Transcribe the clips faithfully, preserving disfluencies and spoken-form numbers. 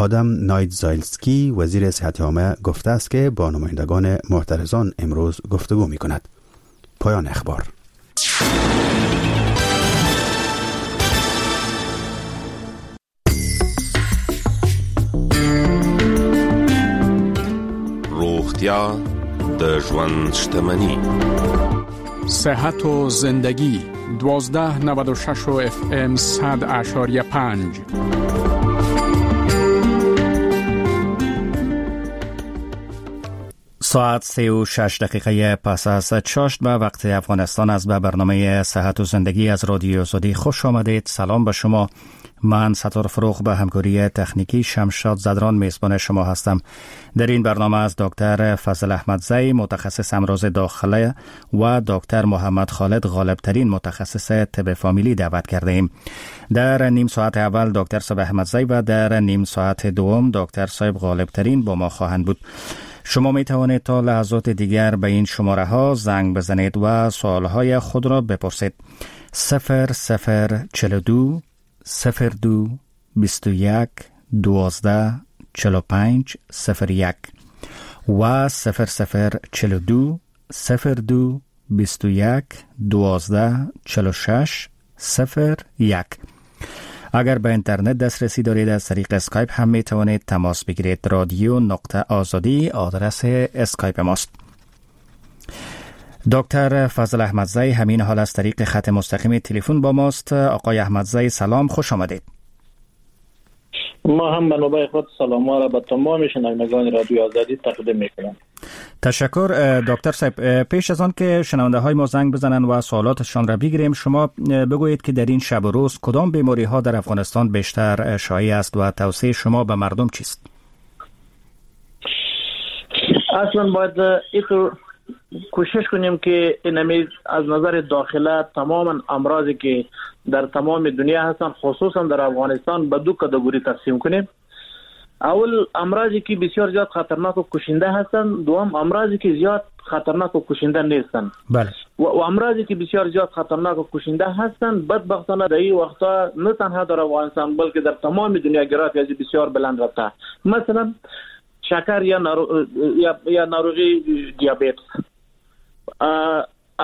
آدم نایتزایلسکی وزیر صحت عامه گفته است که با نمایندگان معترضان امروز گفتگو می کند. پایان اخبار. روغتیا د ژوند شتمنی، صحت و زندگی، دوازده نود و شش اف ام صد اعشاریه پنج. ساعت سه و شش دقیقه پس از چاشت به وقت افغانستان از به برنامه صحت و زندگی از رادیو آزادی خوش آمدید. سلام به شما. من ستار فروغ به همکاری تکنیکی شمشاد زدران میزبان شما هستم. در این برنامه از دکتر فضل احمدزی متخصص امراض داخله و دکتر محمد خالد غالبترین متخصص طب فامیلی دعوت کرده ایم. در نیم ساعت اول دکتر صاحب احمدزی و در نیم ساعت دوم دکتر صاحب غالبترین با ما خواهند بود. شما می توانید تا لحظات دیگر به این شماره ها زنگ بزنید و سوال های خود را بپرسید. صفر صفر چهل و دو صفر دو بیست و یک دوازده چهل و پنج صفر یک و صفر صفر چهل و دو صفر دو بیست و یک دوازده چهل و شش صفر یک. اگر به اینترنت دسترسی دارید از طریق اسکایپ هم می توانید تماس بگیرید. رادیو نقطه آزادی آدرس اسکایپ ماست. دکتر فضل احمدزی همین حال از طریق خط مستقیم تلفن با ماست. آقای احمدزی سلام، خوش آمدید. ما هم به نوبه خود سلام را به تمام شنوندگان رادیو آزادی تقدیم میکنم. تشکر دکتر صاحب. پیش از آن که شنونده های ما زنگ بزنن و سوالاتشان را بگیریم، شما بگویید که در این شب و روز کدام بیماری ها در افغانستان بیشتر شایع است و توصیه شما به مردم چیست؟ اصلا باید اینطور کوشش کنیم که اینمی از نظر داخله تمام امراضی که در تمام دنیا هستند خصوصا در افغانستان به دو کاتگوری تقسیم کنیم. اول امراضی که بسیار زیاد خطرناک و کشنده هستند، دوم امراضی که زیاد خطرناک و کشنده نیستند. بله. و, و امراضی که بسیار زیاد خطرناک و کشنده هستند بدبختانه در این وقتا نه تنها در افغانستان بلکه در تمام دنیا گراف از بسیار بلند رفته. مثلا شکر یا نارو... یا یا ناروغی دیابت،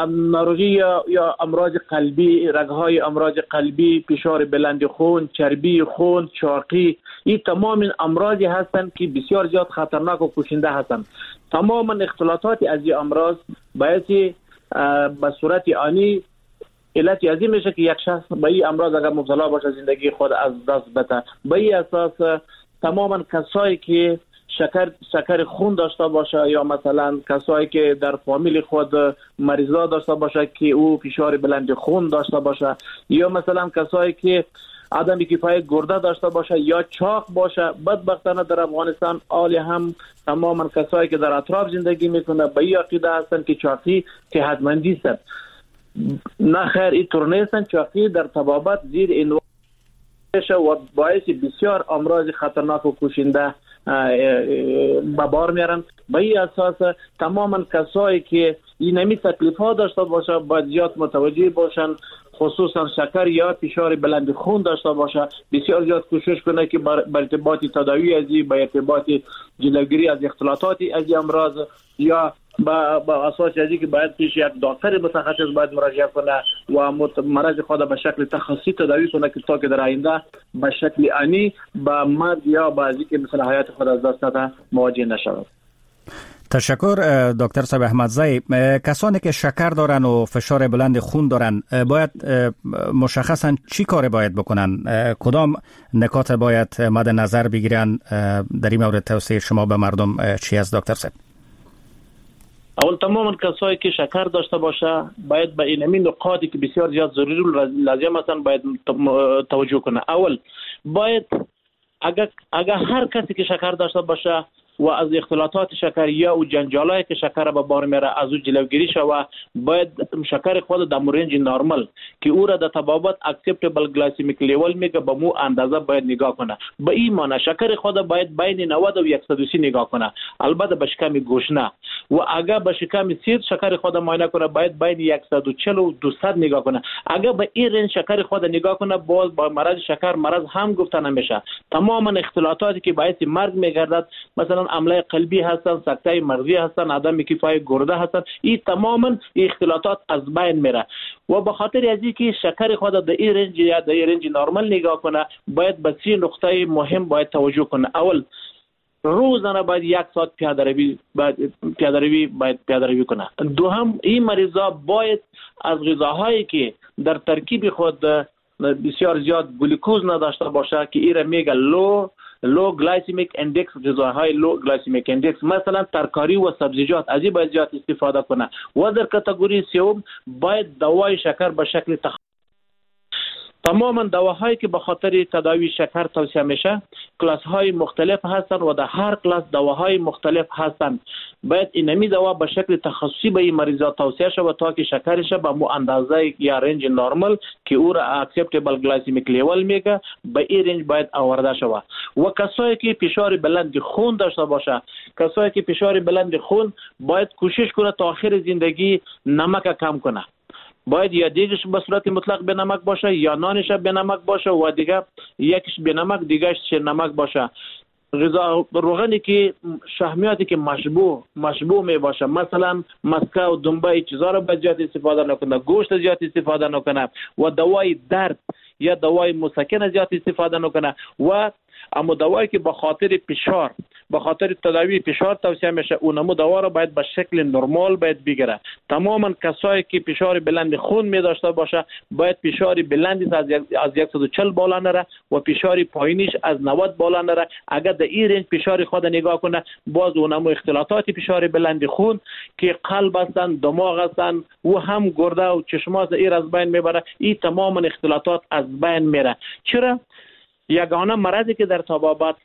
ناروغی یا یا امراض قلبی، رگ‌های امراض قلبی، فشار بلند خون، چربی خون، چاقی، این تمام این امراضی هستند که بسیار زیاد خطرناک و کشنده هستند. تمام اختلاطات از این امراض باعث به صورت آنی علت از این میشه که یک شخص به این امراض اگر مبتلا باشه زندگی خود از دست بده. به این اساس تماما کسایی که شکر شکر خون داشته باشه یا مثلا کسایی که در فامیل خود مریضا داشته باشه که او فشار بلند خون داشته باشه یا مثلا کسایی که عدم کفایت گرده داشته باشه یا چاق باشه، بدبختانه در افغانستان آلی هم تماما کسایی که در اطراف زندگی میکنه به این عقیده هستند که چاقی صحتمندی است. نه خیر، اینطور نیستن. چاقی در طبابت زیر این و باعث بسیار امراض خطرناک و کشنده به بار میارن. به این اساس تماما کسایی که این نمی تکلیف ها داشته باشه باید زیاد متوجه باشن، خصوصا شکر یا فشار بلند خون داشته باشه بسیار زیاد کوشش کنه که بر ارتباط تداوی از این، به ارتباط جلوگیری از اختلاطات از این امراض یا با با اساس از اینکه باید پیش یک دکتر متخصص باید مراجعه کنه و مرض خود به شکل تخصصی تداوی کنه که تا که در آینده به شکل آنی با مرگ یا با از اینکه مثل حیات خود از دست نده مواجه نشود. تشکر دکتر صاحب احمدزی. کسانی که شکر دارن و فشار بلند خون دارن باید مشخصا چی کار باید بکنن؟ کدام نکات باید مد نظر بگیرن؟ در این مورد توصیه شما به مردم چی است دکتر صاحب؟ اول تمام کسایی که شکر داشته باشه باید به این همین نقاطی که بسیار زیاد ضروری و لازم هستند باید توجه کنه. اول باید اگر اگر هر کسی که شکر داشته باشه و از اختلاطات شکر یا او جنجالایی که شکر به بار میره از او جلوگیری شوه، باید شکر خود در range نرمال که او را در طبابت acceptable glycemic level میگه به مو اندازه باید نگاه کنه. به این معنی شکر خود باید بین نود و صد و سی نگاه کنه، البته به شکم گشنه. و اگر به شکم سیر شکر خود معاینه کنه باید بین صد و چهل و دویست نگاه کنه. اگر به این range شکر خود نگاه کنه باز با مرض شکر مرض هم گفته نمیشه. تماما اختلاطاتی که باعث مرگ میگردد، مثلا عمله قلبی هستن، سکته مغزی هستن، عدم کفایت گرده هستن، این تماما اختلاطات از بین میره. و به خاطر از اینکه شکر خود در این range یا در این range نرمال نگاه کنه باید به سه نقطه مهم باید توجه کنه. اول، روزانه باید یک ساعت پیاده روی باید پیاده روی باید پیاده روی کنه. دوم، این مریضا باید از غذاهایی که در ترکیب خود بسیار زیاد گلوکوز نداشته باشه که ایره میگه low low glycemic index، غذاهای low glycemic index مثلا ترکاری و سبزیجات، از این باید زیاد استفاده کنه. و در category سوم باید دوای شکر به شکل تخ... تماما دواهایی که به خاطر تداوی شکر توصیه میشه کلاس های مختلف هستند و در هر کلاس دواهای مختلف هستند. باید اینمی دوا به شکل تخصصی به این مریضا توصیه شود تا که شکرش به مو اندازه یا range نرمال که او را acceptable glycemic level میگه به این range باید آورده شود. و کسایی که فشار بلند خون داشته باشه، کسایی که فشار بلند خون باید کوشش کنه تا آخر زندگی نمک کم کنه. باید یا دیگش به صورت مطلق به نمک باشه یا نانش به نمک باشه و دیگه یکیش به نمک دیگهش نمک باشه. غذا روغنی که شحمیاتی که مشبوع مشبوع می باشه، مثلا مسکه و دنبه چیزا رو باید زیاد استفاده نکنه، گوشت زیاد استفاده نکنه و دوای درد یا دوای مسکن زیاد استفاده نکنه. و اما دوایی که به خاطر فشار به خاطر تداوی فشار توصیه میشه اونمو دوا رو باید به شکل نرمال باید بگیره. تماما کسایی که فشار بلند خون می داشته باشه باید فشار بلندی از از صد و چهل بالا نره و فشار پایینیش از نود بالا نره. اگر در این رنج فشار خود نگاه کنه باز اونمو اختلاطات فشار بلند خون که قلب هستن، دماغ هستن و هم گرده و چشماست این از بین میبره. این تماما اختلاطات از بین میره. چرا؟ یگانه مرضی که در طبابت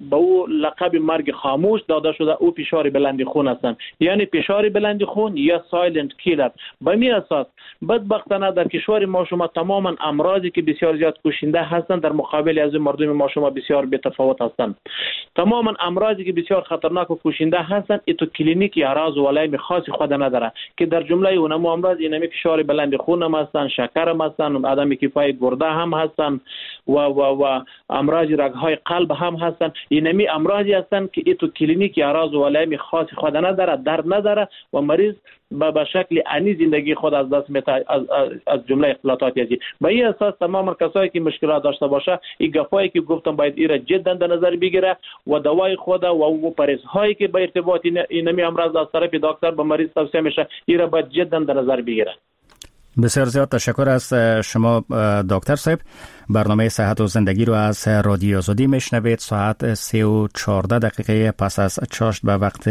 به او لقب مرگ خاموش داده شده او فشار بلند خون هستند، یعنی فشار بلند خون یا silent killer. به می اساس بدبختانه در کشور ما شما تماما امراضی که بسیار زیاد کشنده هستند در مقابل از مردم ما شما بسیار بی‌تفاوت هستند. تماما امراضی که بسیار خطرناک و کشنده هستند ایتو کلینیک اعراض و علائم خاص خود نداره که در جمله اونم امراض اینمی فشار بلند خون هم هستند، شکر هم هستند، عدم کفایت گرده هم هستند و و و امراض رگ‌های قلب هم هستند. اینمی امراضی هستند که ایتو کلینیک اعراض و علائم خاص خود نداره، درد نداره و مریض به شکل انی زندگی خود از دست میده، از, از جمله اختلاطات ازی. به این اساس تمام کسایی که مشکلات داشته باشه این گپایی که گفتم باید ایره جدا در نظر بگیره و دوای خود و او پرهیزهایی که به ارتباط اینمی امراض از طرف دکتر به مریض توصیه میشه ایره باید جدا در نظر بگیره. بسیار زیاد تشکر از شما دکتر صاحب. برنامه صحت و زندگی رو از رادیو آزادی میشنوید. ساعت سه و چهارده دقیقه پس از چاشت به وقت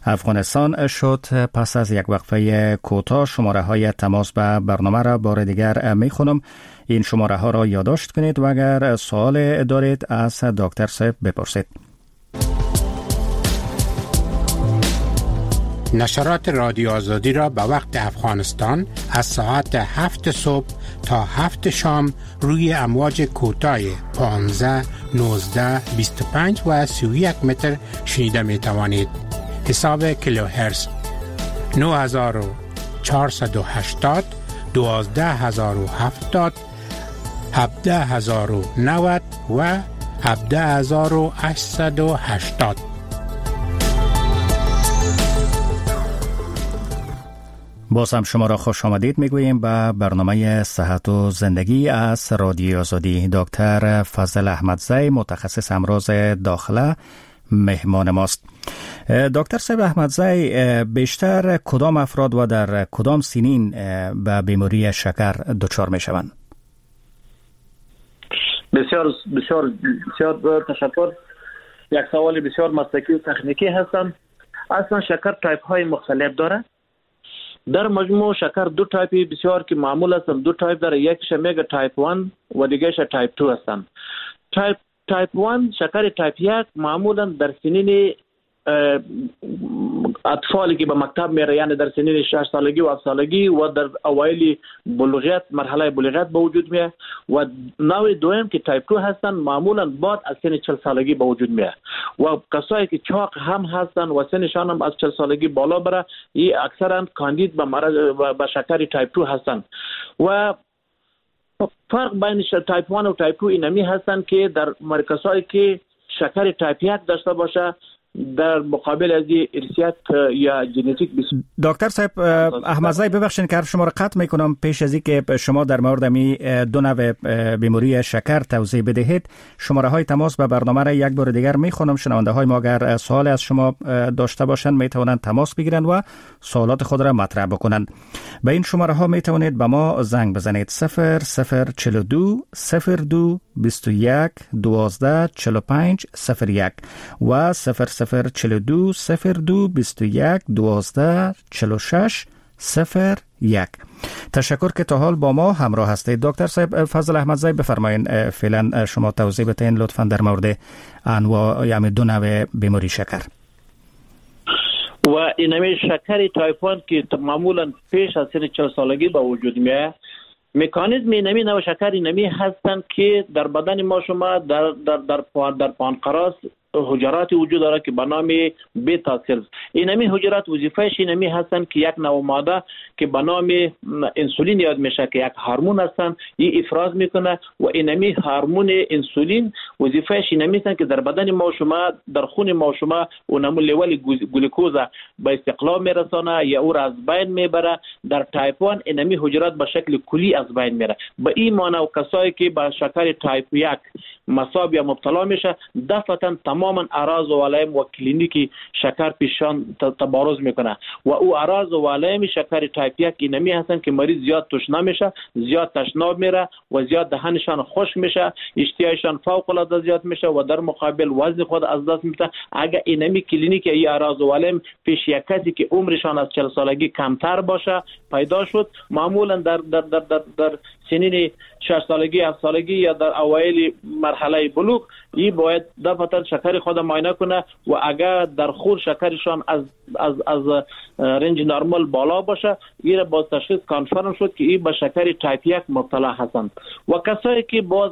افغانستان شد. پس از یک وقفه کوتاه شماره های تماس به برنامه را بار دیگر میخونم. این شماره ها را یادداشت کنید و اگر سوال دارید از دکتر صاحب بپرسید. نشرات رادیو آزادی را به وقت افغانستان از ساعت هفت صبح تا هفت شام روی امواج کوتاه پانزده، نوزده، بیست و پنج و سی و یک متر شنیده می توانید. حساب کیلوهرتز نه هزار و چهارصد و هشتاد، دوازده هزار و هفتاد، هفده هزار و نود و هفده هزار و هشتصد و هشتاد. باز هم شما را خوش آمدید میگوییم به برنامه صحت و زندگی از رادیو آزادی. دکتر فضل احمدزی متخصص امراض داخله مهمان ماست. دکتر صاحب احمدزی، بیشتر کدام افراد و در کدام سنین به بیماری شکر دچار میشوند؟ بسیار بسیار بسیار تشکر. یک سوال بسیار مسلکی و تکنیکی هستم. اصلا شکر تایپ های مختلف داره. در مجموع شکر دو تایپی بسیار که معمول هستن، دو تایپ داره، یکیش میگه تایپ یک و دیگهش تایپ دو هستن. تایپ تایپ یک، شکر تایپ یک معمولا در سنین اطفالی که به مکتب میره، یعنی در سنین شش سالگی و هفت سالگی و در اوایل بلوغیت، مرحله بلوغیت به وجود میاد. و نوع دوم که تایپ دو هستن معمولا بعد از سن چهل سالگی به وجود میاد و کسایی که چاق هم هستن و سنشان هم از چهل سالگی بالا بره، این اکثرا کاندید به مرض به شکر تایپ دو هستن. و فرق بین تایپ یک و تایپ دو اینمی هستن که در مرکزهایی که شکر تایپ یک داشته باشه در مقابل از ارثیت یا ژنتیک. دکتر صاحب احمدزی ببخشید که حرف شما را قطع میکنم، پیش از اینکه شما در مورد می دو نوع بیماری شکر توضیح بدهید، شماره های تماس به برنامه را یک بار دیگر میخونم. شنونده های ما اگر سوال از شما داشته باشند میتوانند تماس بگیرند و سوالات خود را مطرح بکنند. به این شماره ها میتوانید به ما زنگ بزنید: صفر صفر چهل و دو صفر دو بیست و یک دوازده چهل و پنج صفر یک و صفر صفر چهل و دو صفر دو بیست و یک دوازده چهل و شش صفر یک. تشکر که تا حال با ما همراه هستید. دکتر صاحب فضل احمدزی بفرمایید فعلا شما توضیح بدین لطفا در مورد انواع یعنی دو نوع بیماری شکر. و اینمی شکر تایپ یک که معمولا پیش از سن چهل سالگی به وجود میاد، مکانیزم اینمی نوع شکر اینمی هستند که در بدن ما شما در در در در پانقراس حجرات وجود داره که به نام beta cells. اینمی حجرات وظیفه‌اش اینمی هستند که یک نوع ماده که به نام انسولین یاد میشه که یک هورمون هستند، این افراز میکنه و اینمی هورمون انسولین وظیفه‌اش اینمی هستند که در بدن ما شما در خون ما شما اونمو level گلوکوز به استقلال میرسانه یا او را از بین میبره. در تایپ یک اینمی حجرات به شکل کلی از بین میره. به این معنی و کسایی که به شکر تایپ یک مصاب یا مبتلا میشه دفعتا تماما اعراض و علائم و کلینیکی شکر پیشان تبارز میکنه و او اعراض و علائم شکر تایپ یک اینمی هستن که مریض زیاد تشنه میشه، زیاد تشناب میره و زیاد دهنشان خشک میشه، اشتیایشان فوق العاده زیاد میشه و در مقابل وزن خود از دست میده. اگر اینمی کلینیک ای اعراض و علائم پیش یک کسی که عمرشان از چهل سالگی کمتر باشه پیدا شد، معمولا در در در در, در سنین شش سالگی، هفت سالگی یا در اوایل مرحله بلوغ، این باید دفعتا شکر خود معاینه کنه و اگر در خون شکرشان از از از range نرمال بالا باشه، این باز تشخیص confirm شد که این به شکر تایپ یک مبتلا هستند. و کسایی که باز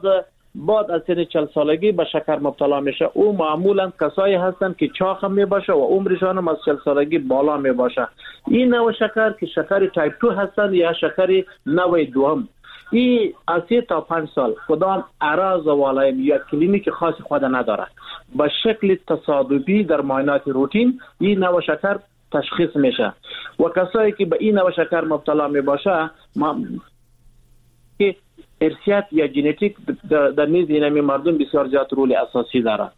بعد از سن چهل سالگی به شکر مبتلا میشه، او معمولا کسایی هستند که چاق می باشه و عمرشان هم از چهل سالگی بالا می باشه. این نوع شکر که شکر تایپ دو هستند یا شکر نوع دوم، این از سه تا پنج سال کدام اعراض و علائم یا کلینیک خاص خود نداره، به شکل تصادفی در معاینات روتین این نوع شکر تشخیص میشه. و کسایی که به این نوع شکر مبتلا می باشه، ما که ارثیت یا ژنتیک در نیز اینمی مردم بسیار زیاد رول اساسی داره.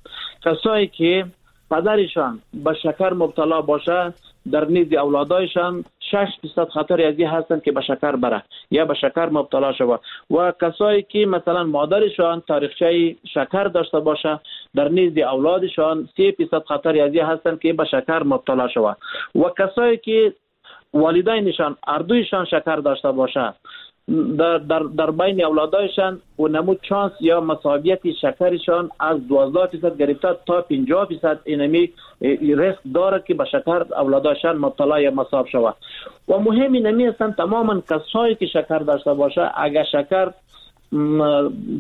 کسایی که پدرشان به شکر مبتلا باشه، در نیز اولادایشان شش درصد خطر از این هستند که به شکر بره یا به شکر مبتلا شود. و کسایی که مثلا مادرشان تاریخچه شکر داشته باشه، در نیز اولادشان سه درصد خطر از این هستند که به شکر مبتلا شود. و کسایی که والدینشان اردویشان شکر داشته باشه، در در در بین اولادایشان و نمود چانس یا مصابیت شکرشان از دوازده درصد گرفته تا پنجاه درصد اینمی ریسک داره که به شکر اولادایشان مبتلا یا مصاب شود. و مهم اینمی هستند تماما کسایی که شکر داشته باشه، اگر شکر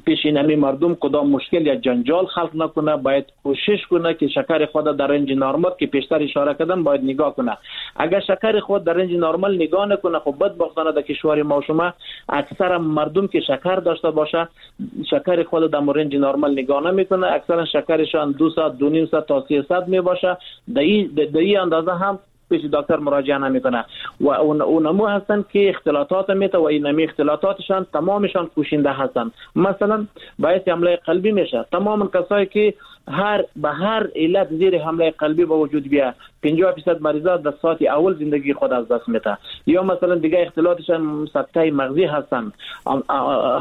پیش اینمی مردم کدام مشکل یا جنجال خلق نکنه، باید کوشش کنه که شکر خود در range نرمال که پیشتر اشاره کردم باید نگاه کنه. اگر شکر خود در range نرمال نگاه نکنه، خب بدبختانه در کشور ما شما اکثر مردم که شکر داشته باشه شکر خود در range نرمال نگاه نمیکنه، اکثرا شکرشان دو صد، دو نیم صد تا سه صد می باشه. در این اندازه هم پیش دکتر مراجعه نمیکنه و اون اونمو هستن که اختلاطات میته و اینمی اختلاطاتشان تمامشان کوشنده هستن. مثلا باعث حمله قلبی میشه. تمام کسایی که هر به هر علت زیر حمله قلبی به وجود بیا، پنجاه درصد مریضا در ساعت اول زندگی خود از دست میده. یا مثلا دیگه اختلاطشان سکته مغزی هستن،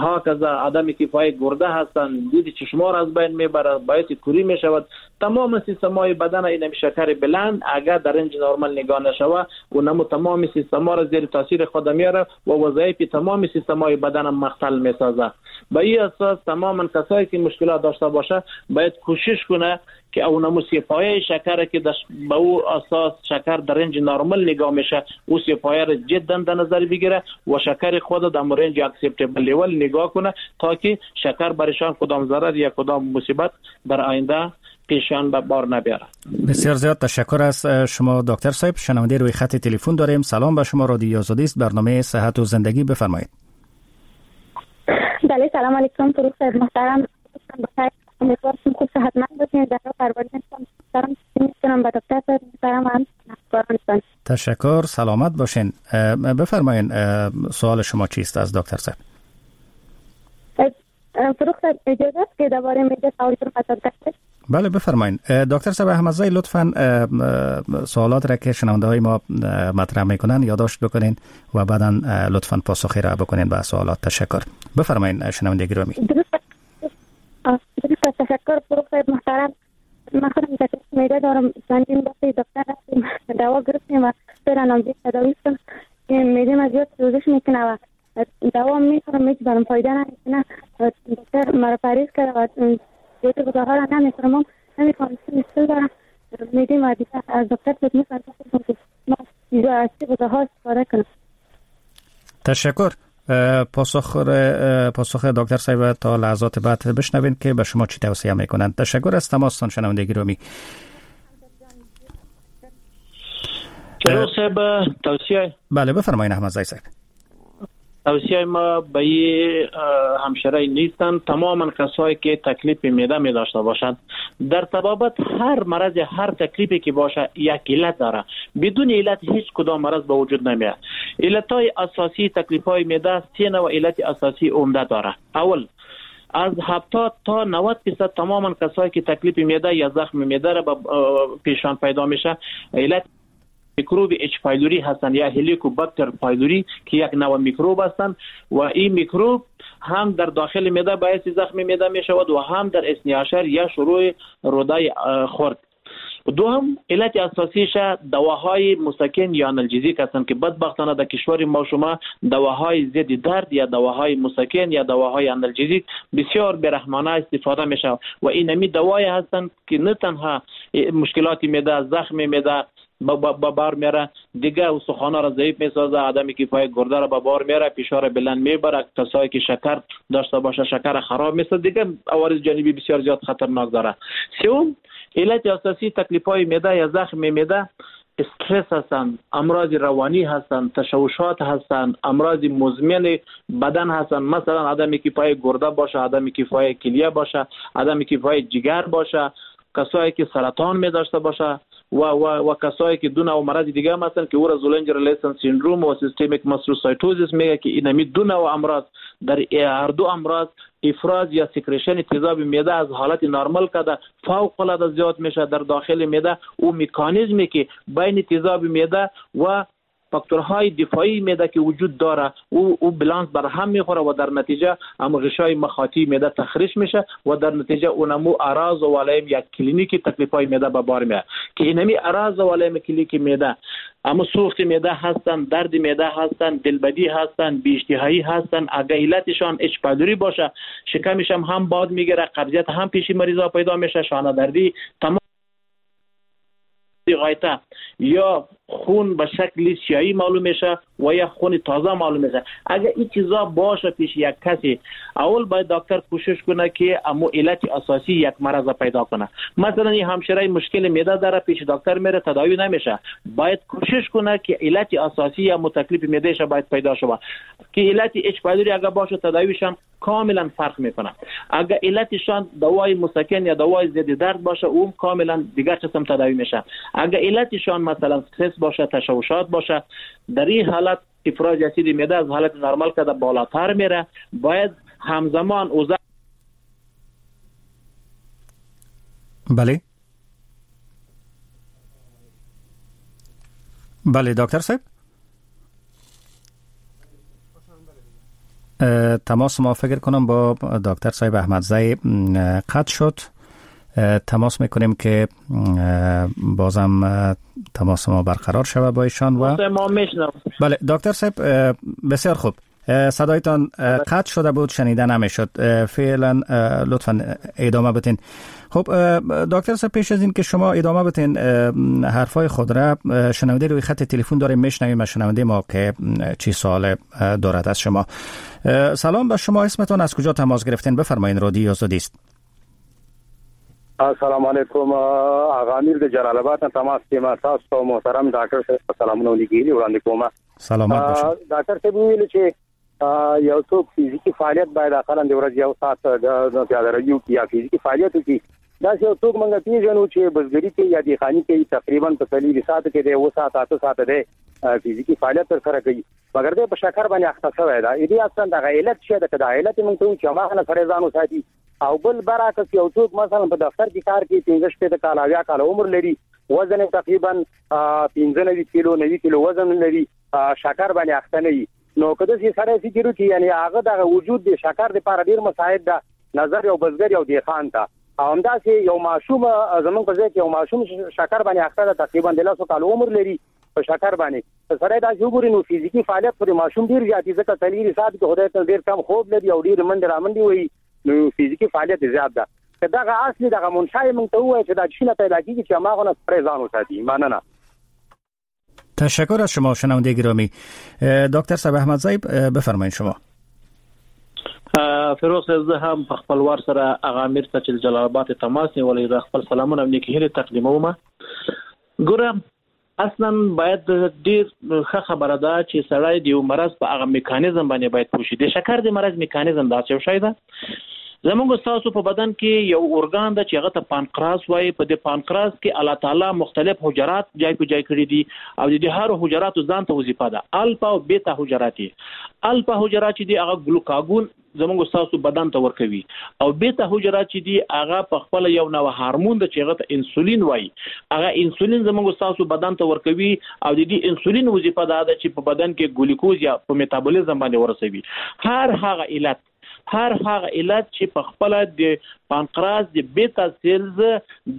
هاکذا عدم کفایت گرده هستن، دید چشما را از بین میبره، باعث کوری میشود. تمام سیستم های بدن اینمی شکر بلند اگر در range نرمال نگاه نشوه و نمو تمام سیستم ها را زیر تاثیر خود میاره و وظایف تمام سیستم های بدن مختل میسازه. به این اساس تماما کسایی که مشکلات داشته باشه باید کوشش کنه که او نمو سی پایه شکر که به او اساس شکر در range نرمال نگاه میشه او سی پایه را جدا در نظر بگیره و شکر خود در range acceptable level نگاه کنه تا که شکر برشان کدام ضرر یا کدام مصیبت در آینده پیشان به بار نبیاره. بسیار زیاد تشکر از شما دکتر صاحب. شنونده روی خط تلفن داریم. سلام به شما، رادیو آزادی است، برنامه صحت و زندگی، بفرمایید. بله سلام علیکم فروغ صاحب محترم، امیدوارم خوب صحتمند باشین. در پروردگار سلام می‌کنم به دکتر صاحب محترم هم همکارانتان. تشکر، سلامت باشین. بفرمایید سوال شما چیست از دکتر صاحب؟ فروغ صاحب اجازه است که درباره معده سوال کنم از دکتر؟ بله بفرمایید. دکتر صاحب احمدزی لطفاً سوالات را که شنونده های ما مطرح میکنن یادداشت بکنین و بعدا لطفاً پاسخی را بکنین به سوالات. تشکر. بفرمایید شنونده گرامی. درست تشکر فروغ صاحب محترم. من خودم تکلیف معده دارم، چندین دفعه دکتر رفتیم دوا گرفتیم و فعلا هم تداوی هستم. معده من زیاد سوزش میکنه و دوا میخورم هیچ برام فایده نمیکنه. دکتر مرا پریز کرده و زیاد غذاها را نمیخورم، نمیخوام مشکل دارم معده ما دیگه. از دکتر صاحب میخوام که ما از چه غذاها استفاده کنم. تشکر. پاسخ پاسخ دکتر صاحب تا لحظات بعد بشنوین که به شما چی توصیه میکنند. تشکر از تماستان شنونده گرامی. فروغ صاحب توصیه؟ بله بفرمایید احمدزی صاحب. توصیه ما به این همشرای نیستن تماما کسایی که تکلیف معده می داشته باشند. در طبابت هر مرض هر تکلیفی که باشه یک علت داره، بدون علت هیچ کدام مرض به وجود نمیاد. علتهای اساسی تکلیف‌های معده سه نوع علت اساسی عمده داره. اول از هفتاد تا نود درصد تماما کسایی که تکلیف معده یا زخم معده را به پیشان پیدا میشه علت میکروب H. pylori هستند یا Helicobacter pylori که یک نوع میکروب هستند و این میکروب هم در داخل معده باعث زخم معده می شود و هم در اثنی‌عشر یا شروع روده خرد. دوم علت اساسیش دواهای مسکن یا analgesic هستند که بدبختانه در کشور ما شما دواهای ضد درد یا دواهای مسکن یا دواهای analgesic بسیار برحمانه استفاده میشه و این دوای هستند که نه تنها مشکلات معده زخم معده با بار میاره، دیگه استخوان‌ها را ضعیف میسازه، عدم کفایت گرده را به بار میاره، فشار بلند میبره، کسایی که شکر داشته باشه شکر خراب میسازه، دیگه عوارض جانبی بسیار زیاد خطرناک داره. سوم علت اساسی تکلیف‌های معده یا زخم معده استرس هستند، امراض روانی هستند، تشوشات هستند، امراض مزمن بدن هستند، مثلا عدم کفایت گرده باشه، عدم کفایت کلیه باشه، عدم کفایت جگر باشه، کسایی که سرطان می داشته باشه و و و کسایی که دو نوع مرض دیگه هم هستن که او را Zollinger-Ellison syndrome و systemic mastocytosis میگه که اینمی دو نوع امراض در هر دو امراض افراز یا secretion تیزاب معده از حالت نرمال کده فوق العاده زیاد میشه در داخل معده. او مکانیزمی که بین تیزاب معده و فاکتورهای دفاعی معده که وجود داره او او بالانس بر هم میخوره و در نتیجه هم غشای مخاطی معده تخریش میشه و در نتیجه اونمو اعراض و علائم یا کلینیکی تکلیف‌های معده به بار میاد که اینمی اعراض و علائم کلینیکی معده اما سوخت معده هستن، درد معده هستن، دلبدی هستن، بی‌اشتهایی هستن. اگه علتشان H. pylori باشه شکمش هم هم باد میگیره، قبضیت هم پیش مریضا پیدا میشه، شانه دردی، تمام غایطه یا خون به شکل سیاهی معلوم میشه و یا خون تازه معلوم میشه. اگر این چیزا باشه پیش یک کسی اول باید دکتر کوشش کنه که امو علت اساسی یک مرض پیدا کنه. مثلا این همشیره مشکل معده داره، پیش دکتر میره تداوی نمیشه، باید کوشش کنه که علت اساسی یا تکلیف معده باید پیدا شود که علت H. pylori اگر باشه تداویشان کاملا فرق میکنه. اگر علتشان دوای مسکن یا دوای ضد درد باشه اون کاملا دیگر قسم تداوی میشه. اگر علتشان مثلا استرس باشه، تشوشات باشه، در این حالت افراز اسید معده از حالت نرمال کده بالاتر میره، باید همزمان اوضاع بله بله دکتر صاحب تماس ما فکر کنم با دکتر صاحب احمدزی قطع شد. تماس میکنیم که بازم تماس ما برقرار شود با ایشان و بله دکتر صاحب بسیار خوب، صدایتان قطع شده بود، شنیده نمیشد، فعلا لطفا ادامه بدین. خب دکتر صاحب پیش از این که شما ادامه بدین حرفای خود را، شنونده روی خط تلفن داریم، میشنویم شنونده ما که چی سوال دارد از شما. سلام به شما، اسمتون، از کجا تماس گرفتین؟ بفرمایین. رادیو آزادی است. السلام علیکم، آغا امیر د جلال آباد نه تماس کې تاسو ته محترم ډاکټر صاحب سلامونه لیکلي وړاندې کوم. سلامت باشید. ډاکټر صاحب ویل چې یو څوک فزیکي فعالیت باید اقلا د ورځې یو ساعت د پیاده روي وکړي یا فزیکي فعالیت وکړي. داسې یو څوک موږ پېژنو چې بزګري کوي یا دهقاني کوي، تقریبا په څلور ساعت کې دی اووه ساعته اته ساعته دی فزیکي فعالیت ترسره کوي، مګر دی په شکر باندې اخته شوی دی. دې اصلا دغه علت څه ده؟ که دا علت موږ ته وایو چې هماغه نه سړی ځان وساتي. او بل برعکس یو څوک مثلا په دفتر کې کار کوي، پنځه شپېته کاله اویا کاله عمر لري، وزن یې تقریبا پنځه نوي کیلو نوي کیلو وزن لري، شکر باندې اخته نه وي. نو که داسې سړی فکر وکړي یعنې هغه دغه وجود د شکر دپاره ډېر مساعد ده نظر یو بزګر یو دهقان ته. او همداسې یو ماشوم زموږ په ځای کې یو ماشوم شکر باندې اخته ده، تقریبا د لسو کالو عمر لري، په شکر باندې سړی داسې وګوري نو فزیکي فعالیت خو د ماشوم ډېر زیات وي، ځکه څلور ساعت کې خدای ته ډېر کم خوب لري او ډېر منډې رامنډې وهي، نو فزیکي فعالیت زیات ده. که دغه اصلي دغه منشأ یې موږ ته ووایي چې دا څه نه پیدا کېږي چې هماغه نه سړی ځان وساتي. مننه. تشکر از شما شنونده گرامی. دکتر صاحب احمدزی بفرمایید شما. فیروز زه هم په خپل وار سره هغه امیر ته چې د جلال آباد تماس نیولی د خپل سلامونه او نیکې هیلې تقدیموم. ګوره اصلا باید ډیر ښه خبره ده چې سړی د یو مرض په هغه میکانیزم باندې باید پوه شي. د شکر د مرض میکانیزم داسې یو شی ده، زمونږ ستاسو په بدن کې یو ارګان ده چې هغه ته پانقراس وایي. په دې پانقراس کې الله تعالی مختلف حجرات جای په جای کړي دي او د دې هر حجراتو ځان ته وظیفه ده. الفا او بیتا حجرات دي. الفا حجرات چې دي هغه ګلوکاګون زمونږ ستاسو بدن ته ورکوي، او بیتا حجرات چې دي هغه په خپل یو نوع هارمون ده چې هغه ته انسولین وایي. هغه انسولین زمونږ ستاسو بدن ته ورکوي او د دې انسولین وظیفه دا ده چې په بدن کې ګلوکوز یا په میتابولیزم باندې ورسوي. هر هغه علت هر هغه علت چې په خپل د پانقراس د بیتا سیلز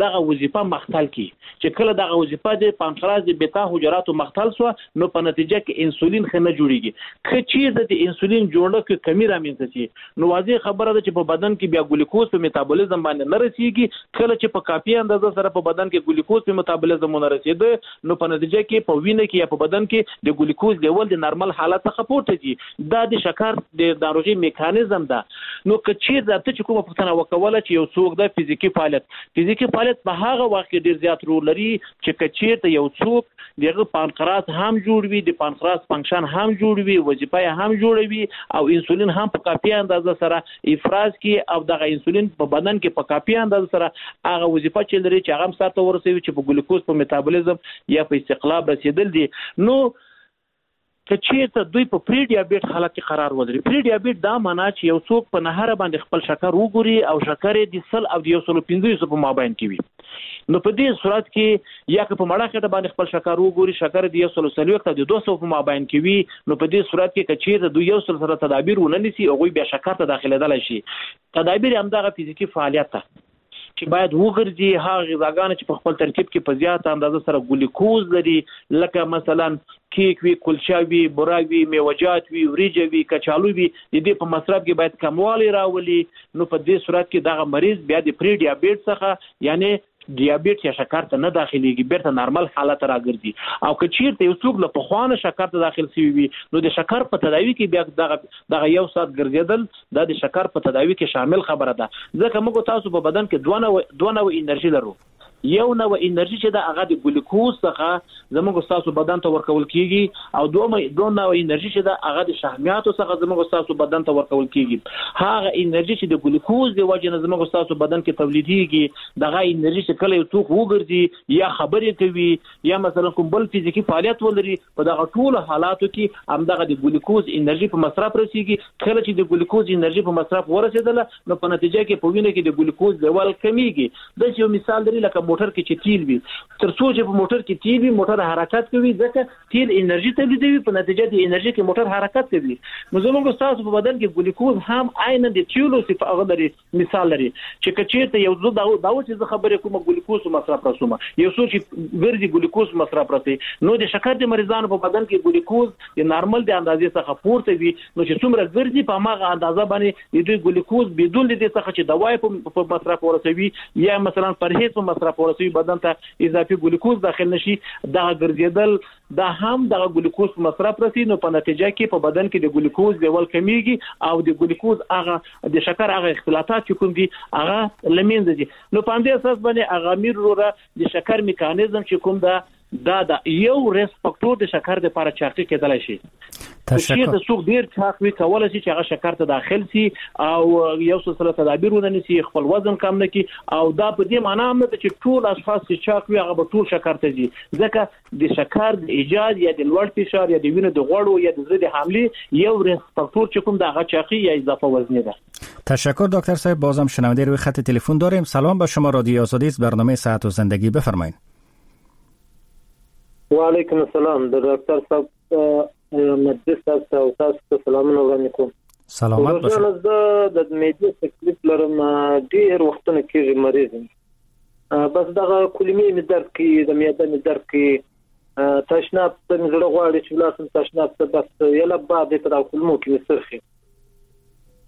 دغه وظیفه مختل کی، چې کله دغه وظیفه د پانقراس د بیتا حجراتو مختل سوه نو په نتیجه کې انسولین ښه نه جوړیږي. که چیرته د انسولین جوړښت کې کمی رامنځته شي نو واضح خبره ده چې په بدن کې بیا ګلوکوز په میتابولیزم باندې نه رسیږي. کله چې په کافي اندازه سره په بدن کې ګلوکوز په میتابولیزم ونه رسیده نو په نتیجه کې په وینه کې یا په بدن کې د ګلوکوز لیول د نارمل حالت څخه پورته ځي. دا د شکر د ناروغۍ میکانیزم ده. نو که چیرته ته چې کومه پوښتنه وکوله چې یو څوک د فزیکي فعالیت فزیکي فعالیت په هغه وخت کې ډیر زیات رول لري چې که چیرته یو څوک دغه پانقراس هم جوړ وي، د پانقراس فنکشن هم جوړ وي، وظیفه یې هم جوړوي او انسولین هم په کافي اندازه سره افراز کړي او دغه انسولین په بدن کې په کافي اندازه سره هغه وظیفه چې لري چې هغه هم سرته ورسوي چې په ګلوکوز په میتابولیزم یا په استقلاب رسېدل دي. نو که چیرته دوی په پری ډیابیټ حالت کې قرار ولري، پری ډیابیټ دا معنا چې یو څوک په نهره باندې خپل شکر وګوري او شکر یې د سل او د یو سلو پنځوسو په مابین کې وي، نو په دې صورت کې یا که په مړه خېټه باندې خپل شکر وګوري شکر د یو سلو څلوېښت او د دوه سوه په مابین کې وي، نو په دې صورت کې که چیرته دوی یو سل سره تدابیر ونه نیسي هغوی بیا شکر ته داخلېدلی شي. تدابیر یې همدغه فزیکي فعالیت ده چې باید وګرځي، هغه غذاګانې چې په خپل ترکیب کې په زیاته اندازه سره ګلوکوز لري لکه مثلا کیک وي، کلچه وي، بوره وي، میوهجات وي، وریجه وي، کچالو وي، د دې په مصرف کې باید کموالی راولي. نو په دې صورت کې دغه مریض بیا د پری ډیابیټ څخه یعنی دیابت یا شکر ته نه داخليږي، بیرته نارمل حالت راګرځي. او که چیرته یو څوک له پخوا نه شکر ته داخل شوی وي نو د شکر په تداوي کې بیا دغه دغه یو ساعت ګرځېدل دا د شکر په تداوي کې شامل خبره ده. ځکه موږ تاسو په بدن کې دوه نوع دوه نوع انرژي لرو. یو نوع انرژي چې ده هغه د ګلوکوز څخه زموږ ستاسو بدن ته ورکول کیږي او دوه دوه نوع انرژي چې ده هغه د شحمیاتو څخه زموږ ستاسو بدن ته ورکول کیږي. هغه انرژي چې د ګلوکوز د وجې نه زموږ ستاسو بدن کې تولیدیږي دغه انرژي چې کله یو څوک وګرځي یا خبرې کوي یا مثلا کوم بل فزیکي فعالیت ولري په دغه ټولو حالاتو کې همدغه د ګلوکوز انرژي په مصرف رسیږي. کله چې د ګلوکوز انرژي په مصرف ورسېدله نو په نتیجه کې په وینه کې د ګلوکوز لیول کمیږي. داسې یو مثال لري لکه موټر کې چې تیل وي، تر څو چې په موټر کې تیل وي موټر حرکت کوي، ځکه تیل انرژي تولیدوي، په نتیجه د انرژي کې موټر حرکت کوي. نو زموږ ستاسو په بدن کې ګلوکوز هم عیناً د تیلو صفه هغه لري، مثال لري چې که چیرته یو زه دا دا چې زه خبرې کوم ګلوکوز مصرف رسوم، یو څو چې ګرځي ګلوکوز مصرف رسي، نو د شکر د مریضانو په بدن کې ګلوکوز د نارمل د اندازې څخه پورته وي، نو چې څومره ګرځي په هغه اندازه باندې د دوی ګلوکوز بدون د دې څخه چې دوای په مصرف ورسوي یا مثلا پرهیز په مصرف ورسوي بدن ته اضافي ګلوکوز داخل نشي، دا ګرځیدل دا هم دغه ګلوکوز په مصرف رسي، نو په نتیجه کې په بدن کې د ګلوکوز لیول کمیږي او د ګلوکوز هغه د شکر هغه اختلاطات چې کوم دي هغه لمنځه ځي. نو په همدې اساس باندې هغه امیر وروره د شکر میکانیزم چې کوم ده دا دا یو risk factor د شکر د لپاره چاقي کېدلی شي. تشکر. چې څوک ډیر چاق وي کولای شي چې هغه شکر ته داخل شي او یو سلسله تدابیر ونه نیسي، خپل وزن کم نه کړي، او دا په دې معنا هم نه ده چې ټول اشخاص چې چاق وي هغه به ټول شکر ته ځي، ځکه د شکر د ایجاد یا د لوړ فشار یا د وینې د غوړو یا د زړه د حملې یو risk factor چې کوم د هغه چاقي یا اضافه وزني ده. تشکر دکتر صاحب. بازم شنونده روی خط تلفن داریم. سلام با شما، رادیو آزادی است، برنامه صحت و زندگی، بفرمایید. و علیکم السلام. د ډاکټر صاحب مجلس صاحب او تاسو ته سلامونه وړاندې کوم. سلامت باشید. زه د معدې تکلیف لرم، ډېر وختونه کېږي مریض یم، بس دغه کلمې مې درد کوي، د معده مې درد کوي، تشناب ته مې زړه غواړي چې ولاړ شم تشناب ته، بس یله باد دی په دغه کلمو کې مې څرخي،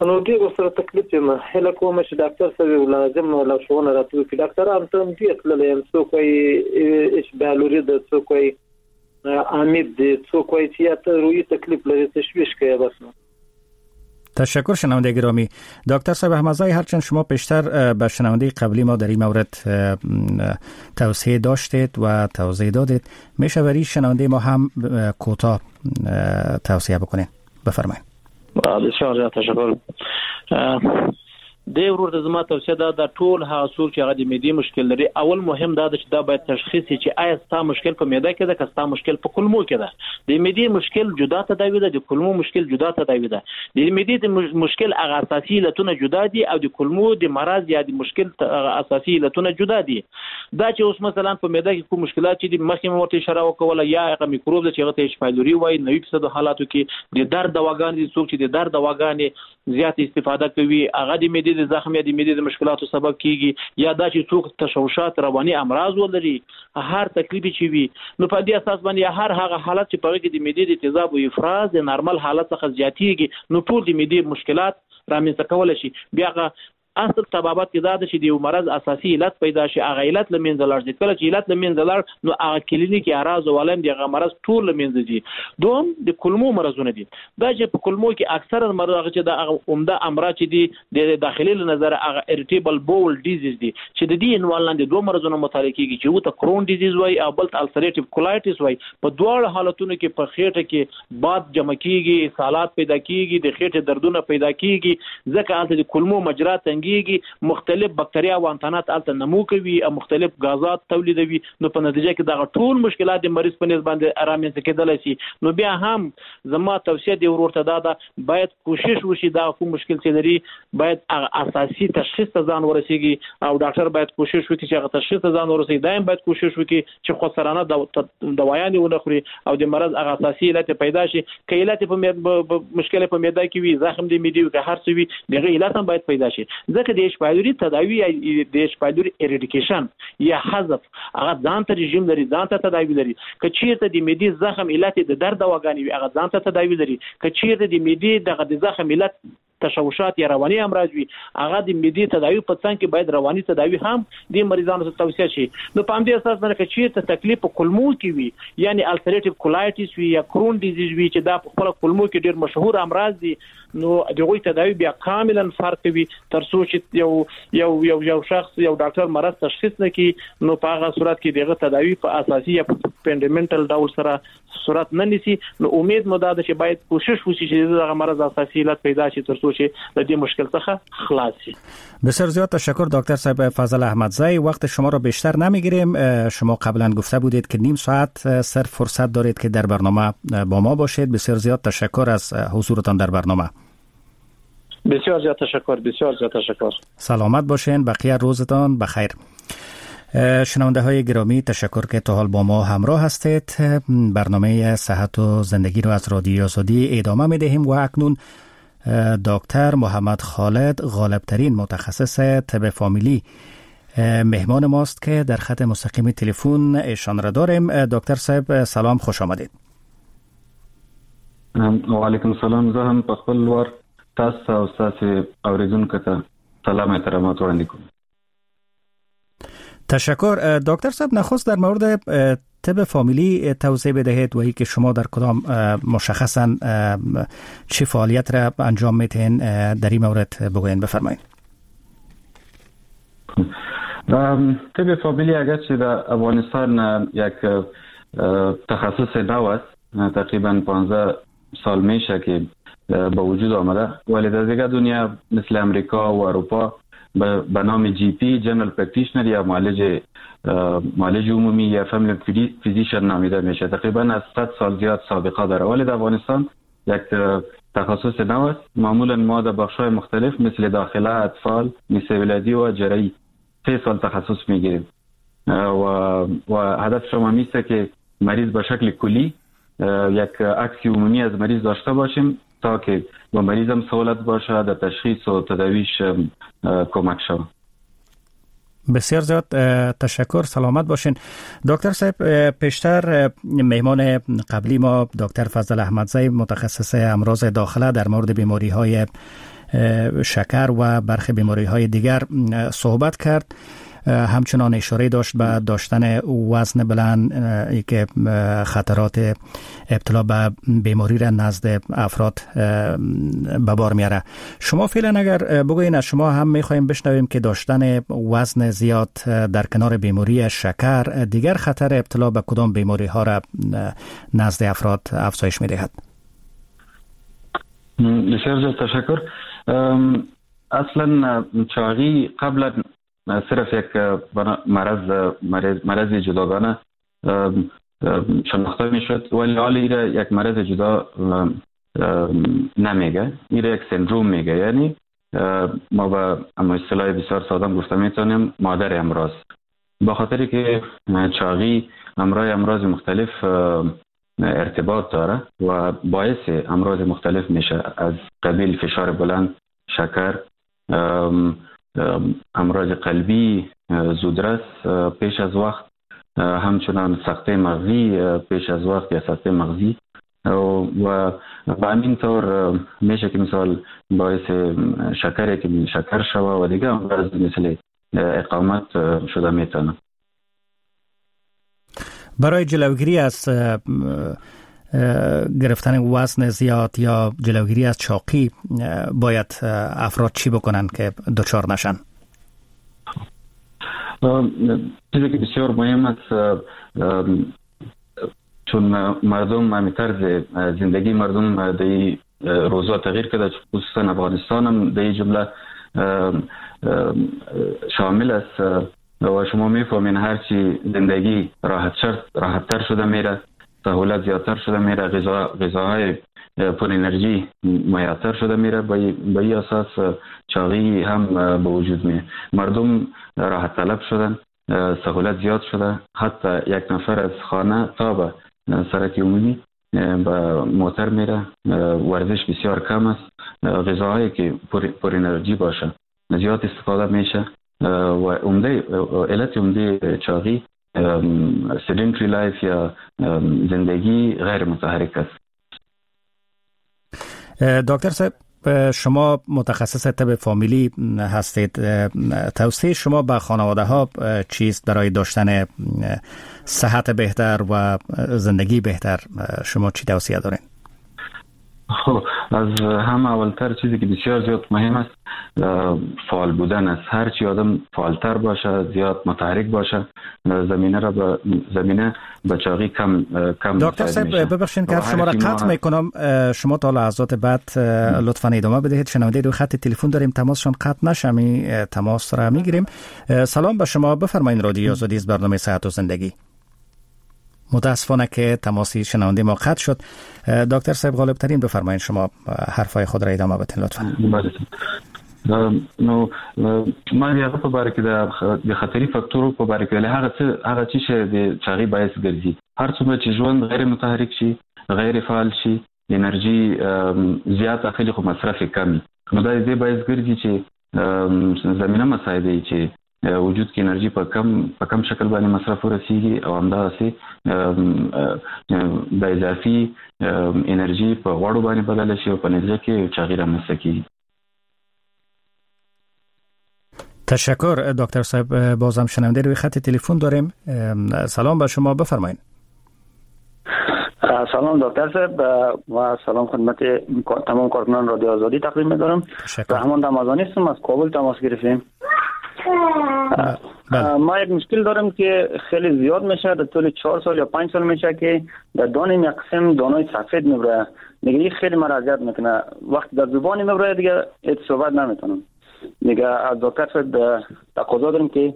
نو ډېر ورسره تکلیف یم. هیله کوم چې ډاکټر صاحب یو لازم لارښوونه راته وکړي. ډاکټران ته هم ډېر تللی یم، څوک وایي اچ بیالوري ده، څوک وایي امید دی، څوک وایي چې یا ته روحي تکلیف لرې، تشویش کوي بس. نو تشکر شنونده گرامی. دکتر صاحب احمدزی، هرچند شما پیشتر به شنونده قبلی ما در این مورد توصیه داشتید و توضیح دادید، میشه برای شنونده ما هم کوتاه توصیه بکنید؟ بفرمایید. بسیار زیات تشکر. دی ورور ته زما توصیه دا ده ټول هغه څوک چې هغه د معدې مشکل لري، اول مهم دا ده چې دا باید تشخیص شي چې آیا ستا مشکل په معده کې ده که ستا مشکل په کولمو کې ده. د معدې مشکل جدا تداوي ده، د کولمو مشکل جدا تداوي ده. د معدې د مشکل هغه اساسي علتونه جدا دي او د کولمو د مرض یا د مشکل هغه اساسي علتونه جدا دي. دا چې اوس مثلا په معده کې کوم مشکلات چې دي مخکې مې ورته اشاره وکوله، یا هغه میکروب ده چې هغه ته H pylori وایي، نوي فیصدو حالاتو کې د درد دواګانې دي، څوک چې د درد دواګانې زیات استفاده کوي هغه د معدې د زخم یا د معدې د مشکلاتو سبب کیږي، یا دا چې څوک تشوشات رواني امراض ولري، هر تکلیف چې وي، نو په دې اساس باندې هر هغه حالت چې په هغه کې د معدې د تیزاب او افراز د نارمل حالت څخه زیاتیږي، نو ټول د معدې مشکلات رامنځته کولی شي. بیا هغه اصل طبابت کې دا ده چې د یو مرض اساسي علت پیدا شي، هغه علت له منځه لاړ شي. کله چې علت له منځه لاړ نو هغه کلینیکي اعراض او علائم د هغه مرض ټول له منځه ځي. دوم د کولمو مرضونه دي، دا چې په کولمو کې اکثرا مرض هغه چې د هغه عمده امراض چې دي د داخلي له نظره هغه irritable bowel disease دي، چې د دې عنوان لاندې دوه مرضونه مطالعه کیږي، چې یو ته Crohn disease وایي او بل ته ulcerative colitis وایي. په دواړو حالتونو کې په خېټه کې باد جمع کیږي، اسهالات پیدا کیږي، د خېټې دردونه پیدا کیږي، ځکه هلته د کولمو مجرا تنګ مختلف بکتریا او انتانات هلته نمو کوي او مختلف غازات تولیدوي، نو په نتیجه کې دغه ټول مشکلات د مریض په نسبت باندې رامنځته کېدلی شي. نو بیا هم زما توصیه دی ورور ته دا ده، باید کوشش وشي دا کوم مشکل چې لري باید هغه اساسي تشخیص ته ځان ورسیږي، او ډاکټر باید کوشش وکړي چې هغه تشخیص ته ځان ورسیږي. دایم باید کوشش وکړي چې خودسرانه دوايانې ونه خوري او د مرض هغه اساسي علت پیدا شي. که علت په مشکل په معده کې وي، زخم د معدې وي، که هر څه وي، د هغې علت هم باید پیدا شي. ځکه د H pylori تداوي یا د H pylori eradication یا حذف هغه ځان ته رژیم لري، ځان ته تداوي لري. که چیرته د معدې زخم علت د درد دواګانې وي هغه ځان ته تداوي لري. که چیرته د معدې دغه د زخم علت تشوشات یا رواني امراض وي، هغه د معدې تداوي په څنګ کې باید رواني تداوي هم د مریضانو ته توصیه شي. نو په همدې اساس باندې که چیرته تکلیف په کولمو کې وي، یعنی ulcerative colitis وي یا Crohn disease وي، چې دا په خپله کولمو کې ډېر مشهور امراض دي، نو د هغوی تداوي بیا کاملا فرق کوي. تر څو چې یو یو یو یو شخص یو ډاکټر مرض تشخیص نه کړي، نو په هغه صورت کې د هغه تداوي په اساسي یا fundamental ډول سره صورت نه نیسي. نو امید مو دا ده چې باید کوشش وشي چې دغه مرض اساسي علت پیدا شي تر څو چې له دې مشکل څخه خلاص شي. بسیار زیاد تشکر دکتر صاحب فضل احمدزی. وقت شما را بیشتر نمیگیریم. شما قبلا گفته بودید که نیم ساعت صرف فرصت دارید که در برنامه با ما باشید. بسیار زیاد تشکر از حضورتان در برنامه. بسیار زیاد تشکر، بسیار زیاد تشکر. سلامت باشین، بقیه روزتان بخیر. شنونده های گرامی، تشکر که تا حال با ما همراه هستید. برنامه صحت و زندگی رو از رادیو آزادی ادامه می دهیم و اکنون دکتر محمد خالد، غالبترین متخصص طب فامیلی، مهمان ماست که در خط مستقیم تلفن ایشان را داریم. دکتر صاحب سلام، خوش آمدید. وعلیکم سلام. زه هم په خپل وار تاسو او ستاسو اوریدونکو ته سلام احترامات وړاندې کوم. تشکر. دکتر صاحب، نخست در مورد طب فامیلی توضیح بدهید و که شما در کدام مشخصا چه فعالیت را انجام میتین، در این مورد بگوین بفرمایید. طب فامیلی اگرچه در افغانستان یک تخصص نو است، تقریبا پانزده سال میشه که به وجود آمده، ولی در دیگر دنیا مثل امریکا و اروپا به نام GP، general practitioner یا معالج معالج عمومی یا family physician نامیده میشه. تقریبا از صد سال زیاد سابقه داره، ولی در افغانستان یک تخصص نو است. معمولا ما در بخش‌های مختلف مثل داخله، اطفال، نساء ولادی و جراحی سه سال تخصص میگیریم و و هدف شما میسته که مریض به شکل کلی یک عکس عمومی از مریض داشته باشیم تا که با مریض هم سهولت باشه در تشخیص و تداویش کمک شود. بسیار زیاد تشکر، سلامت باشین. دکتر صاحب، پیشتر مهمان قبلی ما دکتر فضل احمدزی، متخصص امراض داخله، در مورد بیماری های شکر و برخی بیماری های دیگر صحبت کرد. همچنان اشاره داشت به داشتن وزن بلند که خطرات ابتلا به بیماری را نزد افراد به بار میاره. شما فعلا اگر بگوین، از شما هم میخوایم بشنویم که داشتن وزن زیاد در کنار بیماری شکر دیگر خطر ابتلا به کدام بیماری ها را نزد افراد افزایش میدهد؟ بسیار زیاد تشکر. اصلا چاقی قبلا صرف یک مرض مرض مرض جداگانه شناخته میشد، ولی حال ایره یک مرض جدا نمیگه، ایره یک سندروم میگه. یعنی ما به اما اصطلاح بسیار ساده گفته میتونیم مادر امراض، با خاطری که چاقی امرای امراض مختلف ارتباط داره و باعث امراض مختلف میشه، از قبیل فشار بلند، شکر، امراض قلبی زودرس پیش از وقت، همچنان سکته مغزی پیش از وقت یا سکته مغزی و به همین طور میشه که مثال باعث شکر که شکر شوه و دیگه امراض مثل اقامت شده میتونه. برای جلوگیری از گرفتن وزن زیاد یا جلوگیری از چاقی باید افراد چی بکنن که دچار نشن؟ چیزی که بسیار مهم است، چون مردم همین طرز زندگی مردم در روزا تغییر کرده، خصوصا افغانستان هم در جمله شامل است و شما میفهمین هرچی زندگی راحت تر شده میره، سهولت زیادتر شده میره، غذا غذاهای پر انرژی میاتر شده میره، با این اساس چاقی هم به وجود میاد. مردم راحت طلب شدن، سهولت زیاد شده، حتی یک نفر از خانه تا به سرک عمومی به موتر میره، ورزش بسیار کم است، غذاهایی که پر, پر انرژی باشه زیاد استفاده میشه و عمده علت عمده چاقی sedentary life یا زندگی غیر متحرک است. دکتر صاحب، شما متخصص طب فامیلی هستید، توصیه شما به خانواده ها چیست برای داشتن صحت بهتر و زندگی بهتر؟ شما چی توصیه دارین؟ خب، از هم اولتر چیزی که بسیار زیاد مهم است فعال بودن است. هرچی آدم فعالتر باشه، زیاد متحرک باشه، زمینه را به زمینه به چاقی کم کم. دکتر صاحب ببخشید که شما را قطع میکنم، شما تا لحظات بعد لطفا ادامه بدهید. شنونده دو خط تلفن داریم، تماسشون قطع نشه، می تماس را میگیریم. سلام به شما، بفرمایید. رادیو آزادی از برنامه صحت و زندگی. متاسفانه که تماسی شنونده ما قطع شد. دکتر صاحب غالب ترین بفرمایید شما حرفای خود را ادامه بدین لطفا. بله. نو ما د هغه په باره کې د خطري فاکتورو په باره کې ویل، هغه څه هغه څه چې د چاغي باعث ګرځي. هر څومره چې ژوند غیر متحرک شي، غیر فعال شي، انرژي زیات اخلي خو مصرف یې کم وي، نو دا د دې باعث ګرځي چې زمینه مساعده چې وجود کې انرژي په کم په کم شکل باندې مصرف ورسیږي او همداسې د اضافي انرژي په غوړو باندې بدله شي او په نتیجه کې چاغي رامنځته کیږي. تشکر دکتر صاحب. بازم شنونده روی خط تلفن داریم. سلام به شما، بفرمایید. سلام دکتر صاحب و سلام خدمت تمام کارکنان رادیو آزادی تقدیم می‌دارم. رحمان رمضانی هستم، از کابل تماس گرفتیم. ما یک مشکل دارم که خیلی زیاد میشه، در طول چهار سال یا پنج سال میشه که در دانیم یک قسم دانای سفید میبره دیگه، این خیلی مرا اذیت میکنه. وقتی در زبانی میبره دیگه هیچ صحبت نمیتونم دیگه. از دکتر صاحب تقاضا دارم که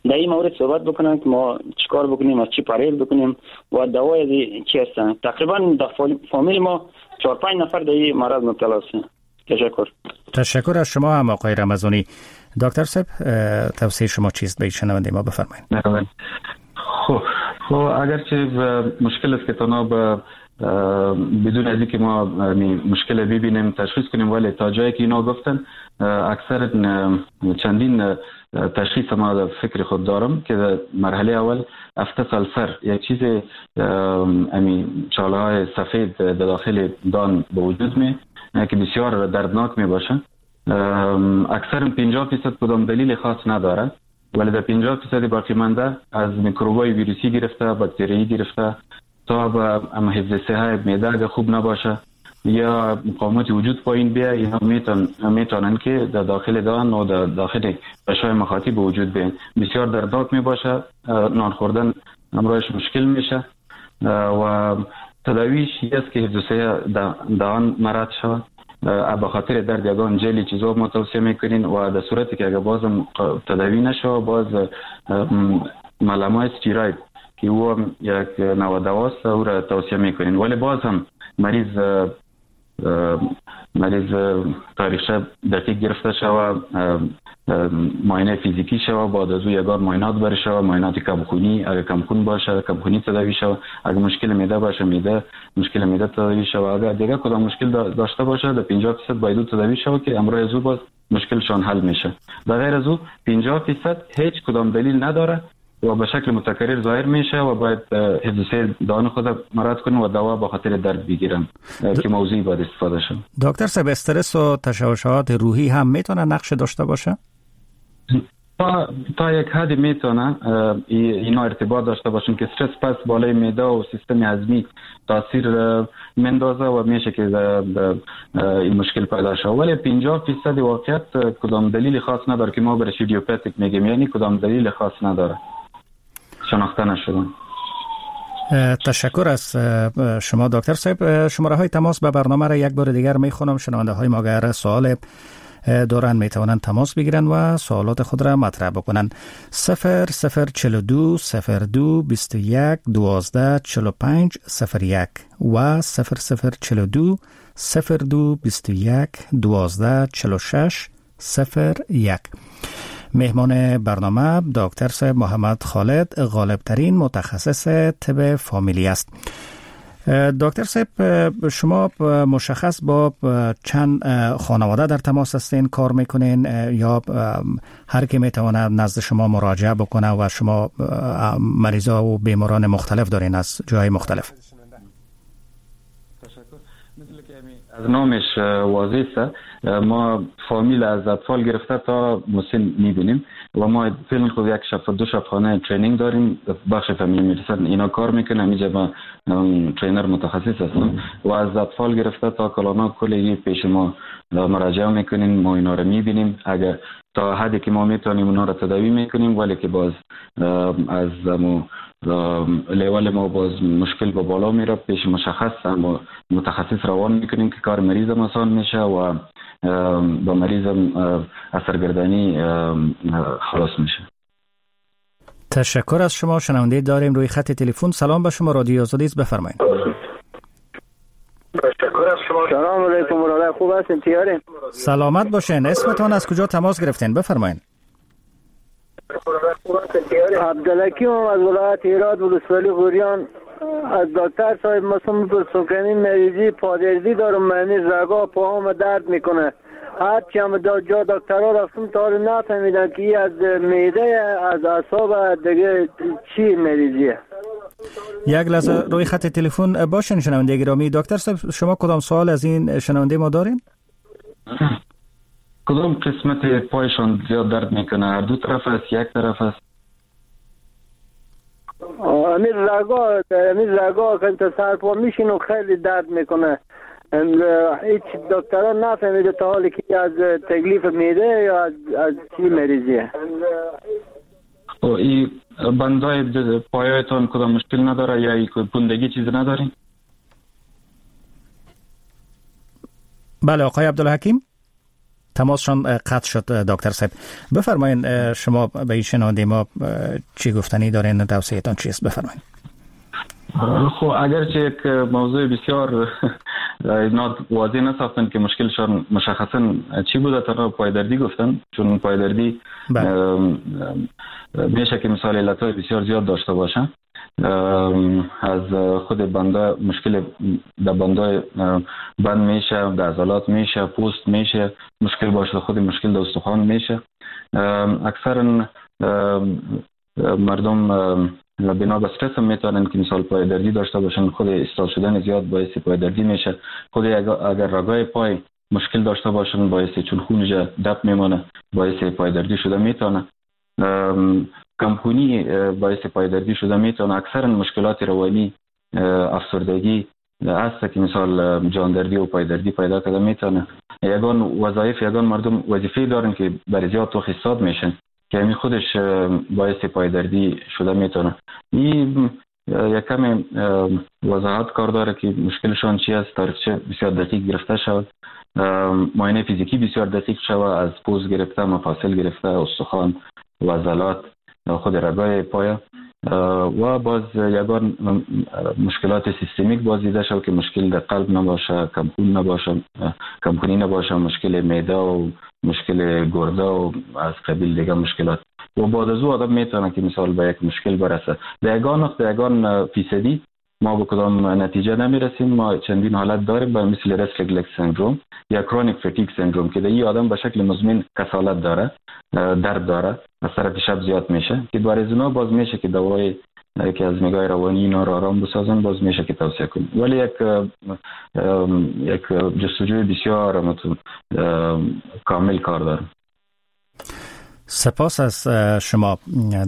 در این مورد صحبت بکنن که ما چیکار بکنیم، از چی پرهیز بکنیم و دوای چی هستن. تقریبا در فامیل ما چهار پنج نفر در این مرض مبتلا هستن. تشکر. تشکر از شما هم آقای رمضانی. دکتر صاحب توصیه شما چیست به شنونده ما؟ بفرمایید. خب خب اگرچه مشکل است که تنها به بدون از اینکه ما مشکل ببینیم تشخیص کنیم، ولی تا جایی که اینا گفتن اکثر چندین تشخیص ما در فکر خود دارم که در مرحله اول افتس السر یک چیز امی چاله های سفید در داخل دان به وجود می که بسیار دردناک می باشه. اکثر پنجاه درصد کدام دلیل خاص نداره، ولی در پنجاه درصد باقی مانده از میکروبای ویروسی گرفته، باکتریایی گرفته تا به حفظ صحه معده اگه خوب نباشه یا مقاومت وجود پایین بیه، اینا میتون میتونن که در داخل دهان و در داخل غشای مخاطی به وجود بیان. بسیار دردناک میباشه، نان خوردن امرایش مشکل میشه و تداویش است که حفظ صحه دهان مراد شود. به خاطر درد یگان جلی چیزا ما توصیه میکنین و در صورتی که اگه بازم تداوی نشه باز ملمای استیراید که او یک نوع دواست او را توصیه میکنین، ولی باز هم مریض مریض تاریخچه دقیق گرفته شوه، معاینه فیزیکی شوه، بعد از او یگان معاینات بره شوه، معاینات کمخونی اگه کمخون باشه کمخونی تداوی شوه، اگه مشکل معده باشه معده مشکل معده تداوی شوه، اگه دیگه کدام مشکل داشته باشه در پنجاه درصد باید او تداوی شوه که امروز از او باز مشکلشان حل میشه. در غیر از او پنجاه درصد هیچ کدام دلیل نداره و به شکل متکرر ظاهر میشه و باید حفظ صحه دهان خود مراد کنیم و دوا به خاطر درد بگیرن که موضوعی باید استفاده شه. دکتر صاحب استرس و تشوشات روحی هم میتونه نقش داشته باشه؟ تا تا یک حد میتونه اینا ارتباط داشته باشن که استرس پس بالای معده و سیستم هضمی تاثیر مندازه و میشه که این مشکل پیدا شه، ولی پنجاه درصد واقعیت کدام دلیل خاص نداره که ما برش idiopathic میگیم، یعنی کدام دلیل خاص نداره، شناخته نشدن. تشکر از شما دکتر صاحب. شماره های تماس به برنامه را یک بار دیگر میخونم. شنونده های ما اگر سوال دارن میتوانند تماس بگیرن و سوالات خود را مطرح بکنن. صفر صفر چهل و دو صفر دو بیست و یک دوازده چهل و پنج صفر یک و صفر صفر چهل و دو صفر دو بیست و یک دوازده چهل و شش صفر یک. مهمان برنامه دکتر صاحب محمد خالد، غالبترین متخصص طب فامیلی است. دکتر صاحب شما مشخص با چند خانواده در تماس هستین، کار میکنین یا هر کی میتواند نزد شما مراجعه بکنه و شما مریضا و بیماران مختلف دارین از جای مختلف؟ از نامش واضح است، ما فامیل از اطفال گرفته تا مسن میبینیم و ما فعلا خود یک شب دو شب خانه training داریم، بخش family medicine اینا کار میکنه، اینجا ما trainer متخصص هستم و از اطفال گرفته تا کلانا کلی پیش ما مراجعه میکنین، ما اینا رو میبینیم، اگر تا حدی که ما میتونیم اونا رو تداوی میکنیم، ولی که باز از مو لیول ما باز مشکل به بالا میره پیش مشخص اما متخصص روان میکنیم که کار مریض آسان میشه و با مریض اثرگردانی خلاص میشه. تشکر از شما. شنونده داریم روی خط تلفن. سلام به شما، رادیو آزادی است، بفرمایید. تشکر از شما. سلام علیکم برادر، خوب هستین؟ تیارین؟ سلامت باشین. اسمتان از کجا تماس گرفتین؟ بفرمایین. عبدالحکیم از ولایت هرات، ولسوالی غوریان. از دکتر صاحب مسلم پرسم که این مریضی پادردی دارم، معنی رگا پاهام درد میکنه. هرچی هم جا دکترها رفتم تا حالا نفهمیدن که این از معده، از اعصاب، دیگه چی مریضیه. یک لحظه روی خط تلفن باشین شنونده گرامی. دکتر صاحب شما کدام سوال از این شنونده ما دارین؟ کدام قسمت پایشان زیاد درد میکنه؟ هر دو طرف است، یک طرف است؟ امیر رگا، امیر رگا که تا سر پا میشین و خیلی درد میکنه. هیچ دکترها نفهمیده تا حالی که از تکلیف میده یا از, از چی مریضیه. این بندای پایایتان کدام مشکل نداره یا پوندگی چیز ندارین؟ بله آقای عبدالحکیم تماسشان قطع شد. دکتر صاحب بفرمایین شما به این شنونده ما چی گفتنی دارین، توصیه‌تان چیست؟ بفرمایین. خب اگرچه یک موضوع بسیار واضح نساختن که مشکلشان مشخصا چی بوده، تنها پایدردی گفتن، چون پایدردی میشه که مثال علت‌های بسیار زیاد داشته باشه. از خود بنده مشکل در بندای بند میشه، در عضلات میشه، پوست میشه مشکل باشه، خود مشکل در استخوان میشه. اکثرا مردم بنا به استرس هم میتونن که مثال پایدردی داشته باشن. خود استال شدن زیاد باعث پایدردی میشه. خود اگر رگای پای مشکل داشته باشن باعث، چون خون دپ میمونه، باعث پایدردی شده میتونه. کمخونی باعث پایدردی شده میتونه. اکثرا مشکلات روانی، افسردگی هست که مثال جاندردی و پایدردی پیدا کرده میتونه. یگان وظایف، یگان مردم وظیفه دارن که برای زیاد تو خستاد میشن که همین خودش باعث پایدردی شده میتونه. این یک کم وضاحت کار داره که مشکلشان چی است، تاریخچه بسیار دقیق گرفته شود، معاینه فیزیکی بسیار دقیق شود، از پوست گرفته، مفاصل گرفته، استخوان و عضلات، خود رگای پایه، و باز یگان مشکلات سیستمیک باز دیده شد که مشکل در قلب نباشه، کمخون نباشه، کمخونی نباشه، مشکل معده و مشکل گرده و از قبیل دیگه مشکلات. و بعد از او آدم میتونه که مثال به یک مشکل برسه. در یگان وقت، در یگان فیصدی ما به کدام نتیجه نمیرسیم. ما چندین حالت داریم به مثل restless leg syndrome یا chronic fatigue syndrome که در این آدم به شکل مزمن کسالت داره، درد داره، از طرف شب زیاد میشه که برای اونا باز میشه که دوای که از نگاه روانی اینا رو آرام بسازن باز میشه که توصیه کنیم. ولی یک یک جستجوی بسیار کامل کار داره. سپاس از شما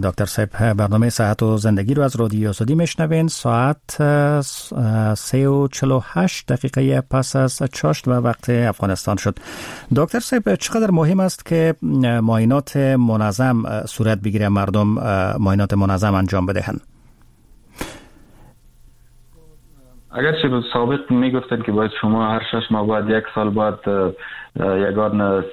دکتر صاحب. برنامه صحت و زندگی رو از رادیو آزادی میشنوین. ساعت سه و چهل و هشت دقیقه پس از چاشت و وقت افغانستان شد. دکتر صاحب چقدر مهم است که معاینات منظم صورت بگیره، مردم معاینات منظم انجام بدهند؟ اگرچه سابق میگفتن که باید شما هر شش ماه بعد، یک سال بعد یگان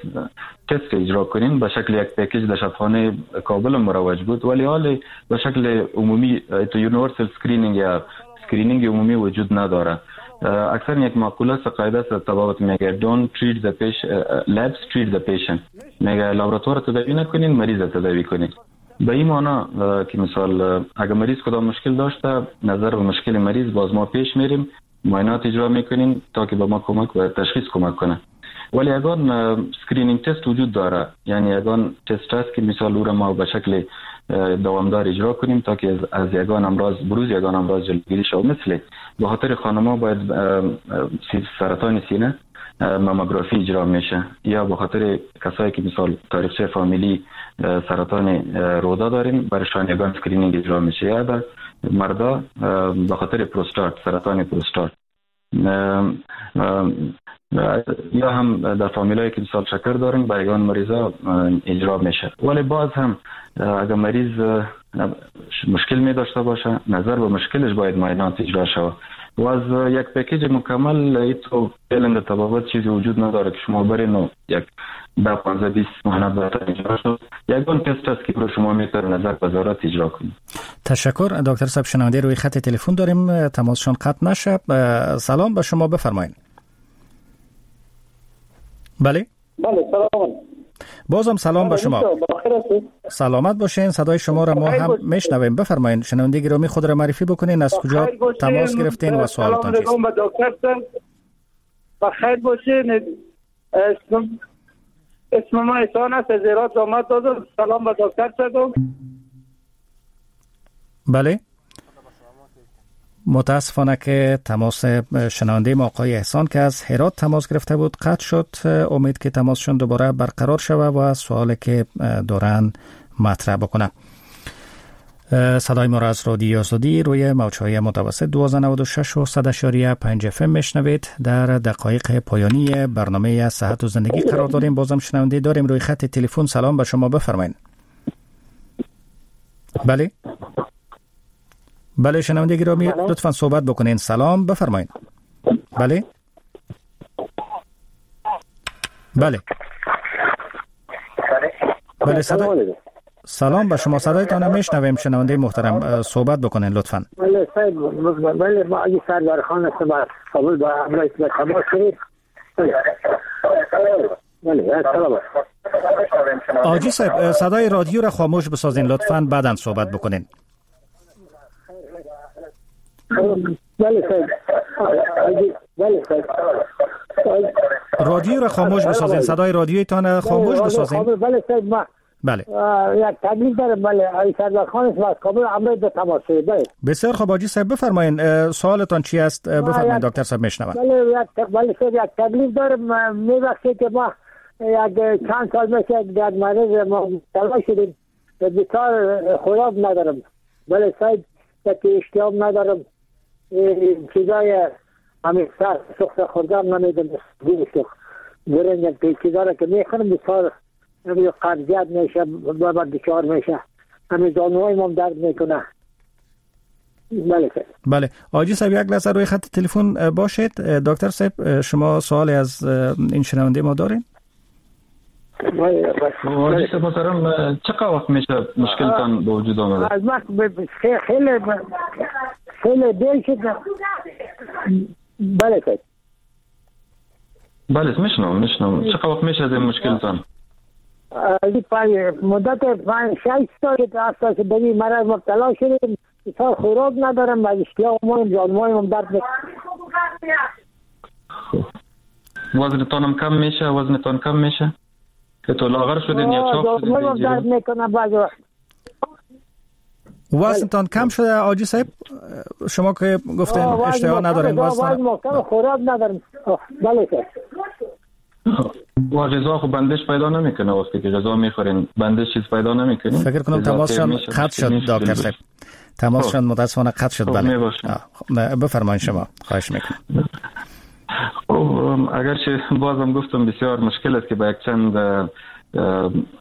تست اجرا کنین، به شکل یک package در شفاخانه کابل مروج بود، ولی حال به شکل عمومی تو universal screening یا screening عمومی وجود نداره. اکثر یک مقوله است، قاعده است طبابت میگه don't treat the patient، labs treat the patient، میگه لابراتوار تداوی نکنین، مریض تداوی کنین. به این معنا که مثال اگر مریض کدام مشکل داشته، نظر به مشکل مریض باز ما پیش میریم، معاینات اجرا میکنیم تا که به ما کمک و تشخیص کمک کنه. ولی اگر screening test وجود داره، یعنی اگر تست هست که مثال او را ما به شکل دوامدار اجرا کنیم تا که از یگان امراض، بروز یگان امراض جلوگیری شود. مثل به خاطر خانم‌ها باید سرطان سینه ماموگرافی اجرا میشه، یا به خاطر کسایی که مثال تاریخچه فامیلی سرطان روده داریم برایشان یگان screening اجرا میشه، یا در مردا به خاطر پروستات، سرطان پروستات، یا هم در فامیلایی که مثال شکر دارن برای یگان مریضا اجرا میشه. ولی باز هم اگر مریض مشکل می داشته باشه، نظر به مشکلش باید معاینات اجرا شود. و از یک package مکمل ایتو فعلا در طبابت چیزی وجود نداره که شما برین و یک ده پانزده بیست معاینات براتون اجرا شد. یگان تست است که برای شما میتونه نظر به ضرورت اجرا کنید. تشکر دکتر صاحب. شنونده روی خط تلفن داریم، تماسشان قطع نشه. سلام به شما، بفرمایید. بله بله سلام. بازم سلام به شما. سلامت باشین. صدای شما را ما هم میشنویم. بفرمایین شنونده گرامی خود را معرفی بکنین، از کجا تماس گرفتین و سوالتان چیست؟ سلام دکتر بخیر باشین. اسم اسم ما احسان است، از هرات آمد دادم. سلام به دکتر صاحب. بله متاسفانه که تماس شنونده ما آقای احسان که از هرات تماس گرفته بود قطع شد. امید که تماسشون دوباره برقرار شود و سوالی که دارن مطرح بکنن. صدای ما را از رادیو آزادی روی موج‌های متوسط دوازده نود و شش و صد اعشاریه پنج اف ام میشنوید. در دقایق پایانی برنامه صحت و زندگی قرار داریم. بازم شنونده داریم روی خط تلفن. سلام به شما، بفرمایید. بله بله شنونده گرامی لطفاً صحبت بکنین. سلام، بفرمایید. بله بله بله صدای سلام به شما، صدایتان میشنویم شنونده محترم، صحبت بکنین لطفاً. بله سید، بله ما اگه سردار خان هستم از کابل با همراه تماس گرفت. بله سلام. آجی صاحب صدای رادیو را خاموش بسازین لطفاً، بعداً صحبت بکنین. بله سید، بله سید، رادیو را خاموش بسازین، صدای رادیویتان خاموش بسازین. بله سید، ما بله یک تبلیغ دارم. بله ای سردار خان است از کابل همراه به تماس. بله بسیار خوب حاجی صاحب بفرمایین سوالتان چی است؟ بفرمایین دکتر صاحب میشنوم. بله یک بله سید یک تبلیغ دارم. میبخشید که ما یک چند سال میشه در مرض مبتلا شدیم، بسیار خوراک ندارم. بله سید یک اشتیاق ندارم، چیزای همین سر سخت خوردم نمیدم، گوشت برنج چیزا را که میخورم بسیار قبضیت میشه، بابا دچار میشه، همین زانوهای ما درد میکنه. بله بله حاجی صاحب یک لحظه روی خط تلفن باشید. دکتر صاحب شما سوالی از این شنونده ما دارین؟ حاجی صاحب محترم چقدر وقت میشه مشکلتان به وجود آمده؟ از وقت خیلی خیلی دیر شد. بله صاحب بله میشنم میشنم چقدر وقت میشه از این مشکلتان؟ مدت پنج شش سال که اساس به این مرض مبتلا شدیم، بسیار خوراک ندارم و اشتیاق مایم جانمایم درد میکنه. وزنتان هم کم میشه؟ وزنتان کم میشه؟ که تو لاغر شدین یا چاق شدین؟ جانمایم درد میکنه بعضی وقت. وزنتان کم شده حاجی صاحب؟ شما که گفتین اشتها ندارین، وزن خوراک ندارم. بله صاحب. و غذا خب بندش پیدا نمیکنه، وقتی که غذا میخورین بندش چیز پیدا نمیکنه. فکر کنم تماسشان قطع شد دکتر صاحب، تماسشان متاسفانه قطع شد. بله بفرمایید شما، خواهش میکنم. خب اگرچه بازم گفتم بسیار مشکل است که با یک چند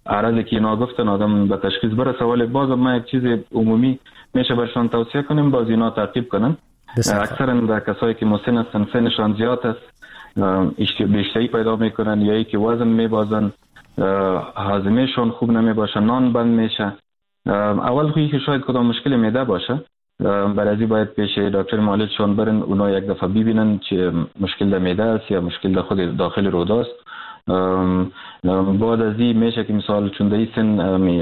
عرضی که اینا گفتن آدم به تشخیص برسه، ولی بازم ما یک چیز عمومی میشه برشان توصیه کنیم، باز اینا تعقیب کنن. اکثرا در کسایی که مسن هستن، سنشان زیاد است، بیشتری پیدا میکنن یا ای که وزن میبازن، هاضمهشون خوب نمیباشه، نان بند میشه. اول خویی که شاید کدام مشکل معده باشه، برای باید پیش دکتر معالجشون برن، اونا یک دفعه ببینن چه مشکل در معده است یا مشکل در خود داخل روده است. بعد از این میشه که مثال چون در این سن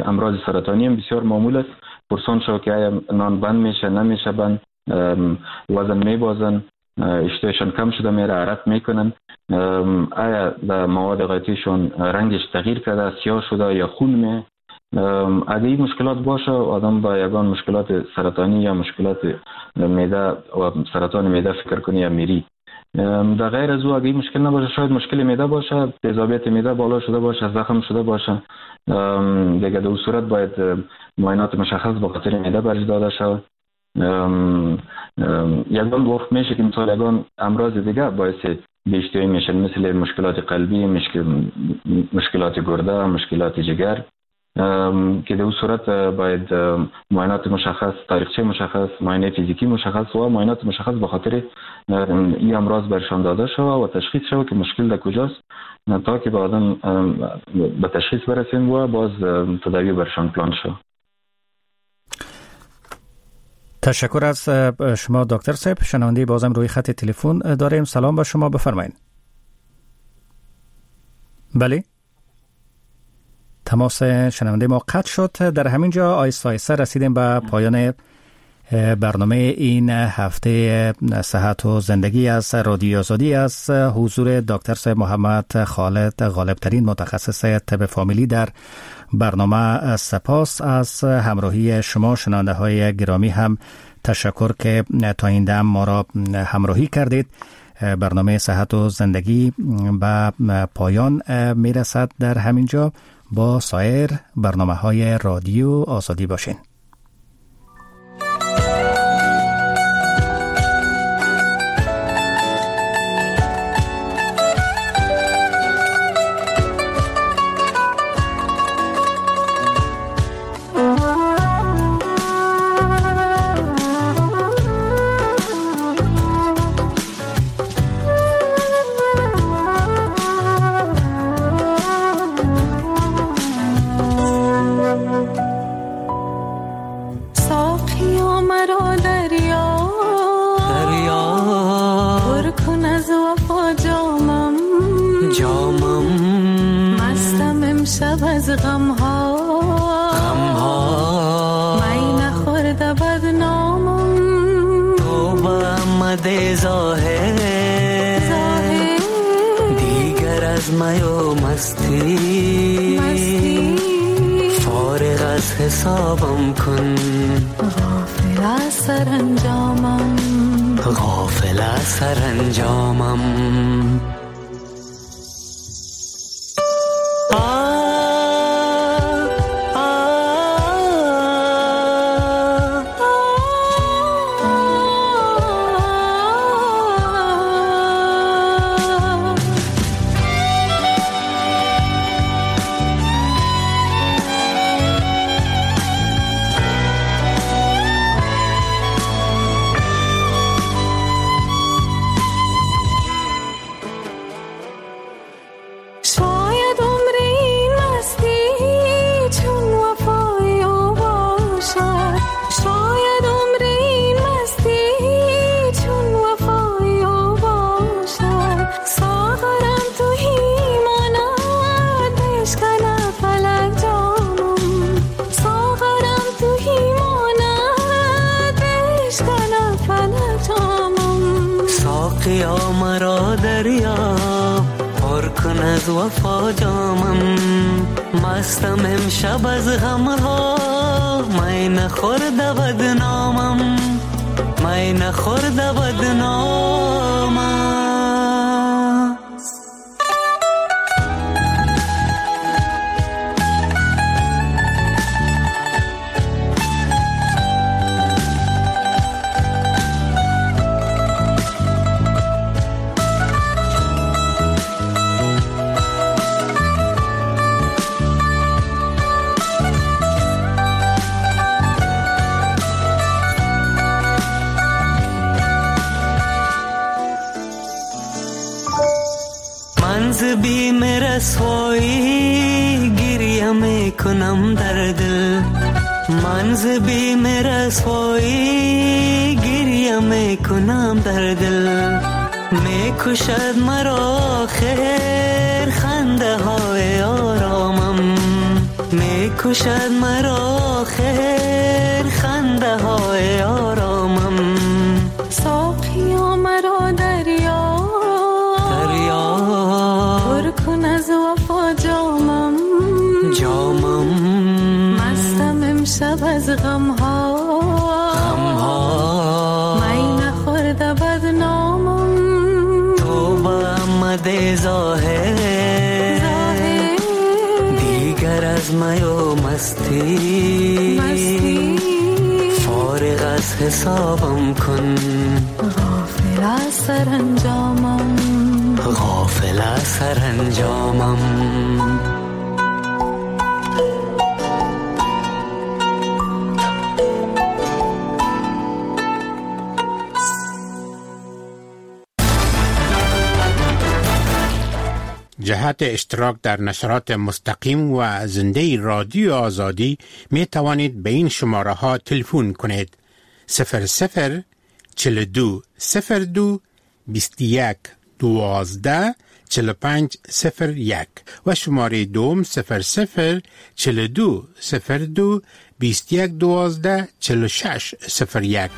امراض سرطانی هم بسیار معمول است، پرسان شو که آیا نان بند میشه نمیشه بند، وزن میبازن، اشتهایشان کم شده میره، عرق میکنن، آیا در مواد غذاییشون رنگش تغییر کرده، سیاه شده یا خون می. اگه این مشکلات باشه آدم با یگان مشکلات سرطانی یا مشکلات معده و سرطان معده فکر کنی یا میری. در غیر از او اگه این مشکل نباشه، شاید مشکل معده باشه، تیزابیت معده بالا شده باشه، زخم شده باشه، دیگه در اون صورت باید معاینات مشخص با خاطر معده برش داده شود. یگان وقت میشه که مثال یگان امراض دیگه باعث بی‌اشتهایی میشن، مثل مشکلات قلبی، مشکل مشکلات گرده، مشکلات جگر، که در اون صورت باید معاینات مشخص، تاریخچه مشخص، معاینه فیزیکی مشخص و معاینات مشخص به خاطر این امراض برشان داده شود و تشخیص شود که مشکل در کجاست، تا که به آدم به تشخیص برسیم و باز تداوی برشان پلان شود. تشکر از شما دکتر صاحب. شنونده بازم روی خط تلفن داریم. سلام به شما، بفرمایید. بله، تماس شنونده ما قطع شد. در همین جا آیسته آیسته رسیدیم به پایان برنامه این هفته صحت و زندگی از رادیو آزادی. از حضور دکتر صاحب محمد خالد غالبترین متخصص طب فامیلی در برنامه سپاس. از همراهی شما شنونده های گرامی هم تشکر که تا این دم ما را همراهی کردید. برنامه صحت و زندگی به پایان میرسد. در همین جا با سایر برنامه های رادیو آزادی باشین. حسابم کن، غافل از سرانجامم، غافل از سرانجامم. از وفا جامم، مستم امشب از غمها، می نخورده بدنامم، می نخورده بدنامم. رسوایی گریه میکنم در دل، من ز بیم رسوایی گریه میکنم در دل، میکشد مرا خیر خنده های آرامم، میکشد مرا خیر خنده های آرامم. ساقیا مرا دریا، دریا پر کن از وفا جامم، جامم. مستم امشب از غمها، غمها. می نخورده بدنامم، توبه مده ظاهر، ظاهر. دیگر از می و مستی، مستی. فارغ از حسابم کن، غافل از سرانجامم، غافل از سرانجامم. جهت اشتراک در نشرات مستقیم و زنده رادیو آزادی می توانید به این شماره ها تلفن کنید: صفر صفر چهل و دو صفر دو بیست و یک دوازده چهل و پنج صفر یک و شماره دوم صفر صفر چهل و دو صفر دو بیست و یک دوازده چهل و شش صفر یک.